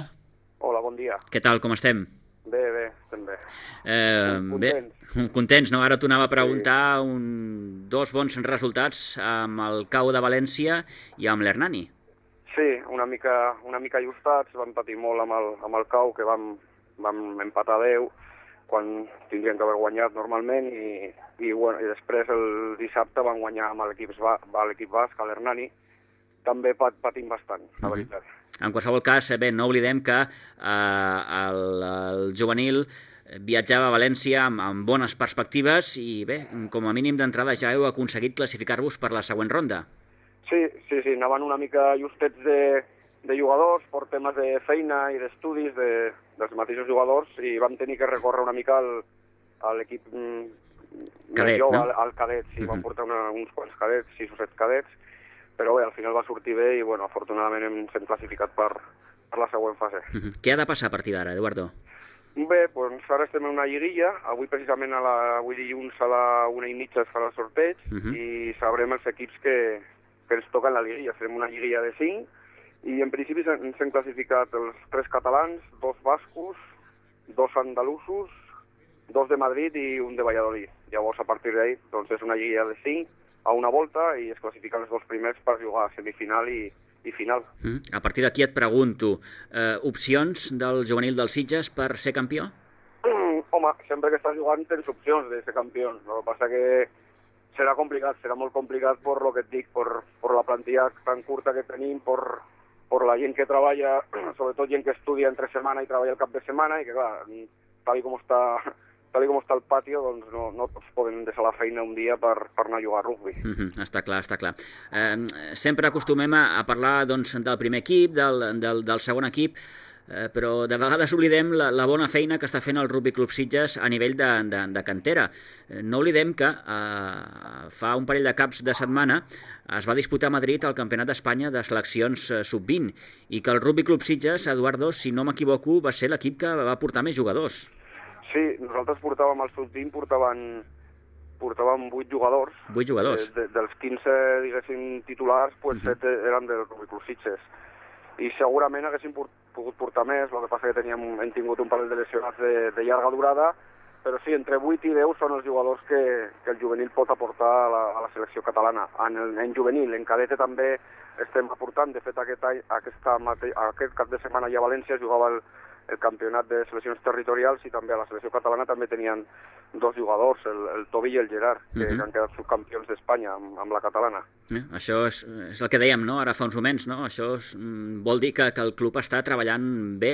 Hola, bon dia. Què tal, com estem? Bé, bé, estem bé. Eh, contents. Bé, contents, no? Ara t'ho anava a preguntar, sí. un, dos bons resultats amb el Cau de València i amb l'Hernani. Sí, una mica, una mica ajustats, vam patir molt amb el, amb el Cau, que vam, vam empatar deu, quan tindrien que haver guanyat normalment, i, i, bueno, i després el dissabte van guanyar amb l'equip basc, a l'Hernani, també pat, patim bastant, la uh-huh. veritat. En qualsevol cas, bé, no oblidem que eh, el, el juvenil viatjava a València amb, amb bones perspectives i bé, com a mínim d'entrada ja heu aconseguit classificar-vos per la següent ronda. Sí, sí, sí, anaven una mica justets de, de jugadors per temes de feina i d'estudis de, dels mateixos jugadors i vam tenir que recórrer una mica al, a l'equip cadet, jove, no? al, al cadet, sí, uh-huh. Vam portar una, uns quants cadets, sis o set cadets, però bé, al final va sortir bé i, bueno, afortunadament hem estat classificat per, per la següent fase. Uh-huh. Què ha de passar a partir d'ara, Eduardo? Bé, doncs ara estem en una lliguilla, avui precisament a la, avui dilluns a la una i mitja es farà el sorteig uh-huh. i sabrem els equips que, que ens toquen la lliguilla. Farem una lliguilla de cinc i en principi ens hem classificat els tres catalans, dos bascos, dos andalusos, dos de Madrid i un de Valladolid. Llavors, a partir d'ahí, doncs és una lliguilla de cinc a una volta i es classifiquen els dos primers per jugar a semifinal i, i final. Mm. A partir d'aquí et pregunto, eh, opcions del juvenil del Sitges per ser campió? Mm, home, sempre que estàs jugant tens opcions de ser campió. El que passa que serà complicat, serà molt complicat per lo que et dic, per, per la plantilla tan curta que tenim, per, per la gent que treballa, sobretot gent que estudia entre setmana i treballa el cap de setmana, i que clar, tal com està, tal com està el patio, doncs no, no tots poden deixar la feina un dia per, per anar a jugar a rugby. Mm-hmm, està clar, està clar. Eh, sempre acostumem a, a parlar doncs, del primer equip, del, del, del segon equip, Eh, però de vegades oblidem la, la bona feina que està fent el Rugby Club Sitges a nivell de, de, de cantera. Eh, no oblidem que eh, fa un parell de caps de setmana es va disputar a Madrid el Campionat d'Espanya de seleccions eh, sub vint i que el Rugby Club Sitges, Eduardo, si no m'equivoco, va ser l'equip que va portar més jugadors. Sí, nosaltres portàvem al sub vint, portaven, portàvem vuit jugadors. vuit jugadors. De, de, dels quinze, diguéssim, titulars, pues uh-huh. set eren del Rugby Club Sitges. I segurament haguéssim pogut portar més, el que passa que teníem, hem tingut un parell de lesionats de, de llarga durada, però sí, entre vuit i deu són els jugadors que, que el juvenil pot aportar a la, a la selecció catalana. En, el, en juvenil, en cadete també estem aportant, de fet aquest, any, aquesta mate, aquest cap de setmana ja a València jugava el, el campionat de seleccions territorials i també a la selecció catalana també tenien dos jugadors, el, el Tobi i el Gerard, que, uh-huh. que han quedat subcampions d'Espanya amb, amb la catalana. Eh, això és, és el que dèiem, no?, ara fa uns moments, no? Això és, vol dir que, que el club està treballant bé.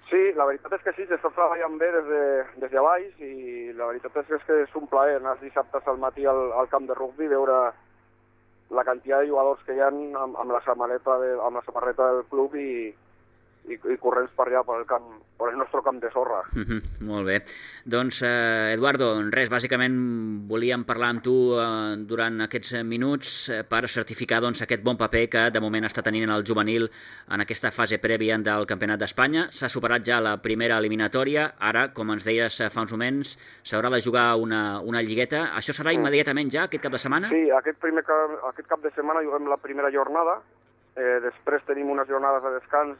Sí, la veritat és que sí, s'està treballant bé des de, des de baix i la veritat és que és, que és un plaer anar dissabtes al matí al, al camp de rugby, veure la quantitat de jugadors que hi ha amb, amb, la, samarreta de, amb la samarreta del club i i, i corrents per allà, per el, camp, per el nostre camp de sorra. Mm-hmm, molt bé. Doncs, eh, Eduardo, res, bàsicament volíem parlar amb tu eh, durant aquests minuts eh, per certificar doncs, aquest bon paper que de moment està tenint el juvenil en aquesta fase prèvia del Campionat d'Espanya. S'ha superat ja la primera eliminatòria, ara, com ens deies fa uns moments, s'haurà de jugar una, una lligueta. Això serà immediatament ja, aquest cap de setmana? Sí, aquest, primer cap, aquest cap de setmana juguem la primera jornada, eh, després tenim unes jornades de descans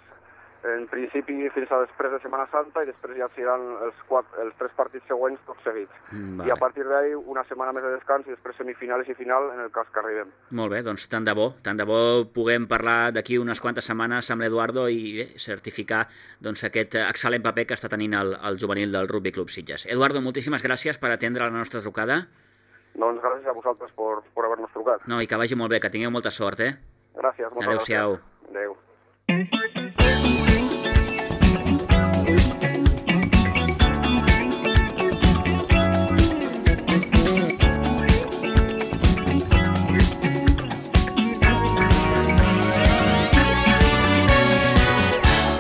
en principi fins a després de Setmana Santa i després ja seran els, quatre, els tres partits següents tots seguits. Mm, vale. I a partir d'ahí una setmana més de descans i després semifinals i final en el cas que arribem. Molt bé, doncs tant de bo, tant de bo puguem parlar d'aquí unes quantes setmanes amb l'Eduardo i bé, certificar doncs, aquest excel·lent paper que està tenint el, el juvenil del Rugby Club Sitges. Eduardo, moltíssimes gràcies per atendre la nostra trucada. Doncs gràcies a vosaltres per, per haver-nos trucat. No, i que vagi molt bé, que tingueu molta sort, eh? Gràcies, moltes Adéu-siau. gràcies. Adéu.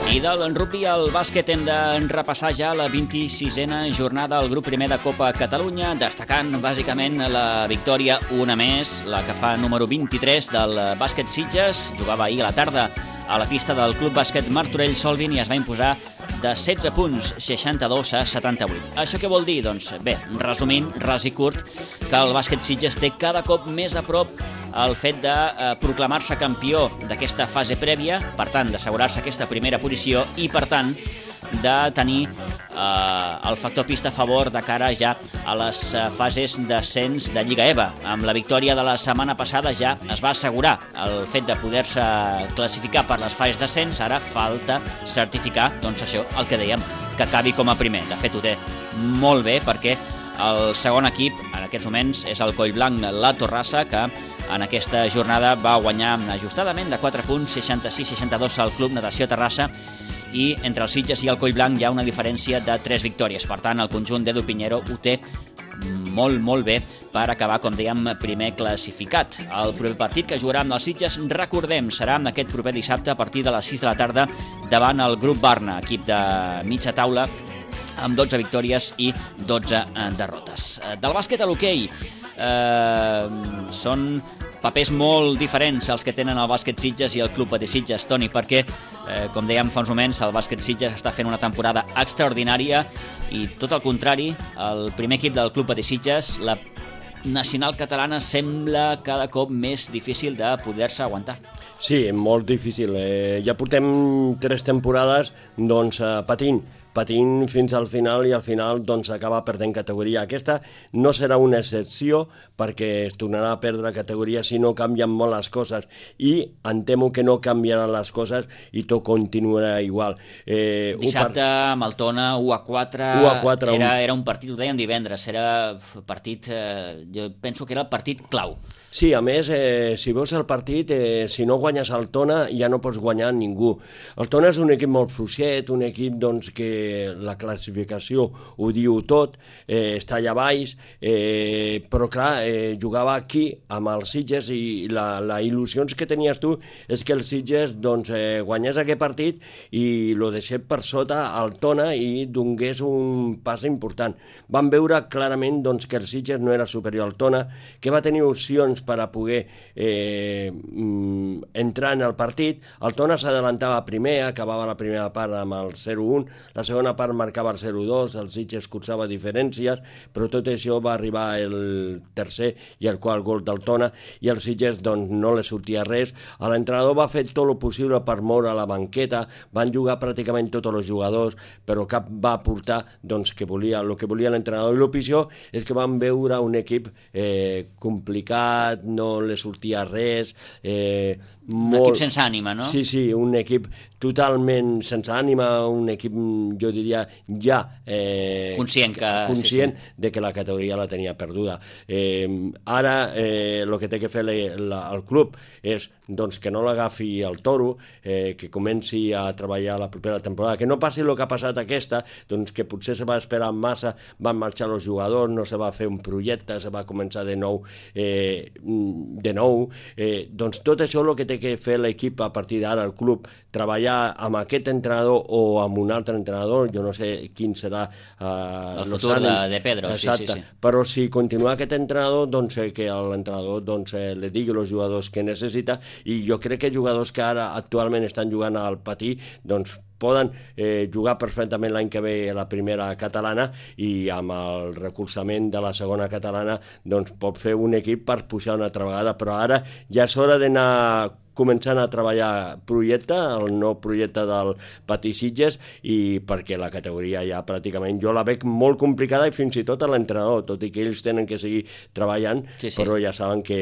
I del rugby al bàsquet hem de repassar ja la vint-i-sisena jornada al grup primer de Copa Catalunya, destacant bàsicament la victòria una més, la que fa número vint-i-tres del bàsquet Sitges. Jugava ahir a la tarda a la pista del Club Bàsquet Martorell Solvin i es va imposar de setze punts, seixanta-dos a setanta-vuit. Això què vol dir? Doncs bé, resumint, ras i curt, que el bàsquet Sitges té cada cop més a prop el fet de eh, proclamar-se campió d'aquesta fase prèvia, per tant, d'assegurar-se aquesta primera posició i, per tant, de tenir eh, el factor pista a favor de cara ja a les eh, fases d'ascens de Lliga EVA. Amb la victòria de la setmana passada ja es va assegurar el fet de poder-se classificar per les fases d'ascens, ara falta certificar, doncs això, el que dèiem, que acabi com a primer. De fet, ho té molt bé perquè el segon equip en aquests moments és el Collblanc La Torrassa, que en aquesta jornada va guanyar ajustadament de quatre punts, seixanta-sis a seixanta-dos al Club Natació Terrassa, i entre el Sitges i el Collblanc hi ha una diferència de tres victòries. Per tant, el conjunt d'Edu Pinheiro ho té molt, molt bé per acabar, com dèiem, primer classificat. El proper partit que jugarà amb els Sitges, recordem, serà aquest proper dissabte a partir de les sis de la tarda davant el Grup Barna, equip de mitja taula, amb dotze victòries i dotze derrotes. Del bàsquet a l'hoquei, eh, són papers molt diferents els que tenen el bàsquet Sitges i el Club Patí Sitges, Toni, perquè, eh, com dèiem fa uns moments, el bàsquet Sitges està fent una temporada extraordinària i, tot el contrari, el primer equip del Club Patí Sitges, la nacional catalana, sembla cada cop més difícil de poder-se aguantar. Sí, molt difícil. Eh, ja portem tres temporades doncs, eh, patint, patint fins al final i al final doncs acaba perdent categoria. Aquesta no serà una excepció perquè es tornarà a perdre categoria si no canvien molt les coses i em temo que no canviaran les coses i tot continuarà igual. Eh, Dissabte amb el Tona u a quatre, u a quatre era, un... era un partit, ho dèiem divendres, era partit, eh, jo penso que era el partit clau. Sí, a més, eh, si veus el partit, eh, si no guanyes el Tona ja no pots guanyar ningú. El Tona és un equip molt fluixet, un equip doncs, que la classificació ho diu tot, eh, està allà baix, eh, però clar, eh, jugava aquí amb els Sitges i la, la il·lusions que tenies tu és que els Sitges doncs, eh, guanyés aquest partit i lo deixés per sota al Tona i donés un pas important. Vam veure clarament doncs, que el Sitges no era superior al Tona, que va tenir opcions per a poder eh, entrar en el partit. El Tona s'adelantava primer, acabava la primera part amb el zero un, la segona part marcava el zero dos, el Sitges cursava diferències, però tot això va arribar el tercer i el quart gol del Tona i el Sitges doncs, no li sortia res. L'entrenador va fer tot el possible per moure la banqueta, van jugar pràcticament tots els jugadors, però cap va aportar doncs, que volia, el que volia l'entrenador. I l'opció és que van veure un equip eh, complicat, no li sortia res, eh, un molt... equip sense ànima, no? Sí, sí, un equip totalment sense ànima, un equip, jo diria, ja... Eh, conscient que... Conscient sí, sí. de que la categoria la tenia perduda. Eh, ara, eh, el que té que fer la, la, el club és doncs, que no l'agafi el toro, eh, que comenci a treballar la propera temporada, que no passi el que ha passat aquesta, doncs que potser se va esperar massa, van marxar els jugadors, no se va fer un projecte, se va començar de nou, eh, de nou. Eh, doncs tot això és el que té que fer l'equip a partir d'ara, el club, treballar amb aquest entrenador o amb un altre entrenador, jo no sé quin serà eh, el futur de, de Pedro. Exacte. Sí, sí, sí. Però si continua aquest entrenador, doncs eh, que l'entrenador doncs, eh, li digui als jugadors que necessita, i jo crec que jugadors que ara actualment estan jugant al patí, doncs poden eh, jugar perfectament l'any que ve a la primera catalana i amb el recolzament de la segona catalana doncs pot fer un equip per pujar una altra vegada, però ara ja és hora d'anar començant a treballar projecte, el nou projecte del Patí Sitges, i perquè la categoria ja pràcticament jo la veig molt complicada i fins i tot a l'entrenador, tot i que ells tenen que seguir treballant, sí, sí. Però ja saben que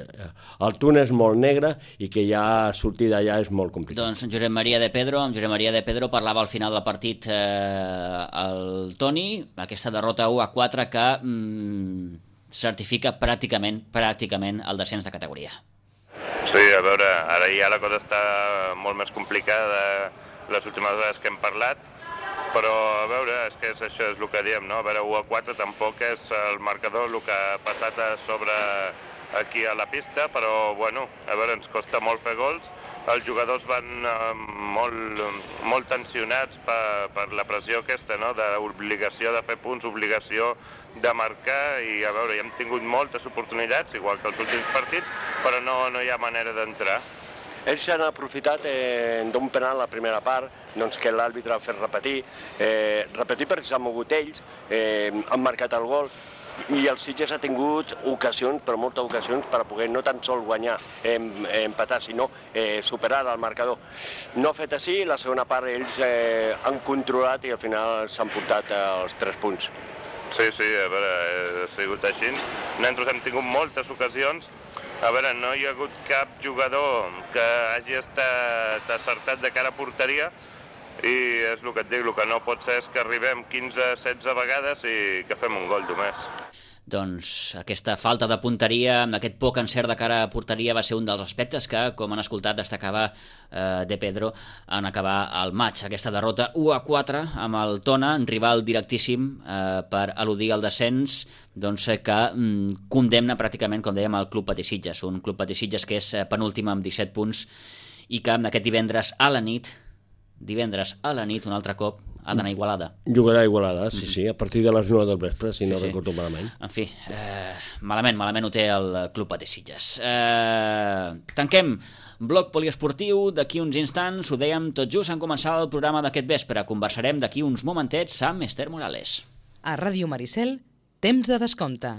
el túnel és molt negre i que ja sortir d'allà és molt complicat. Doncs Josep Maria de Pedro, amb Josep Maria de Pedro parlava al final del partit eh, el Toni, aquesta derrota u a quatre que mm, certifica pràcticament, pràcticament el descens de categoria. Sí, a veure, ara ja la cosa està molt més complicada de les últimes vegades que hem parlat, però a veure, és que és això, és el que diem, no? A veure, u a quatre tampoc és el marcador el que ha passat a sobre aquí a la pista, però bueno, a veure, ens costa molt fer gols, els jugadors van eh, molt, molt tensionats per, per la pressió aquesta, no? D'obligació de fer punts, obligació de marcar, i a veure, ja hem tingut moltes oportunitats, igual que els últims partits, però no, no hi ha manera d'entrar. Ells s'han aprofitat eh, d'un penal a la primera part, doncs que l'àrbitre ha fet repetir, eh, repetir perquè s'han mogut ells, eh, han marcat el gol, i el Sitges ha tingut ocasions, però moltes ocasions, per a poder no tan sol guanyar, eh, empatar, sinó eh, superar el marcador. No ha fet així, la segona part ells eh, han controlat i al final s'han portat els tres punts. Sí, sí, a veure, ha sigut així. Nosaltres hem tingut moltes ocasions. A veure, no hi ha hagut cap jugador que hagi estat acertat de cara a porteria, i és el que et dic, el que no pot ser és que arribem quinze setze vegades i que fem un gol només. Doncs aquesta falta de punteria, aquest poc encert de cara a porteria va ser un dels aspectes que, com han escoltat, destacava eh, De Pedro en acabar el maig. Aquesta derrota u a quatre amb el Tona, un rival directíssim eh, per eludir el descens, doncs, que mm, condemna pràcticament, com dèiem, el Club Patí Sitges, un Club Patí Sitges que és penúltim amb disset punts i que aquest divendres a la nit, divendres a la nit, un altre cop, ha d'anar a Igualada. Jugarà a Igualada, sí, sí, a partir de les nou del vespre, si sí, no sí. recordo malament. En fi, eh, malament, malament ho té el Club Patí Sitges. Eh, tanquem bloc poliesportiu, d'aquí uns instants, ho dèiem tot just en començar el programa d'aquest vespre. Conversarem d'aquí uns momentets amb Esther Morales. A Ràdio Maricel, temps de descompte.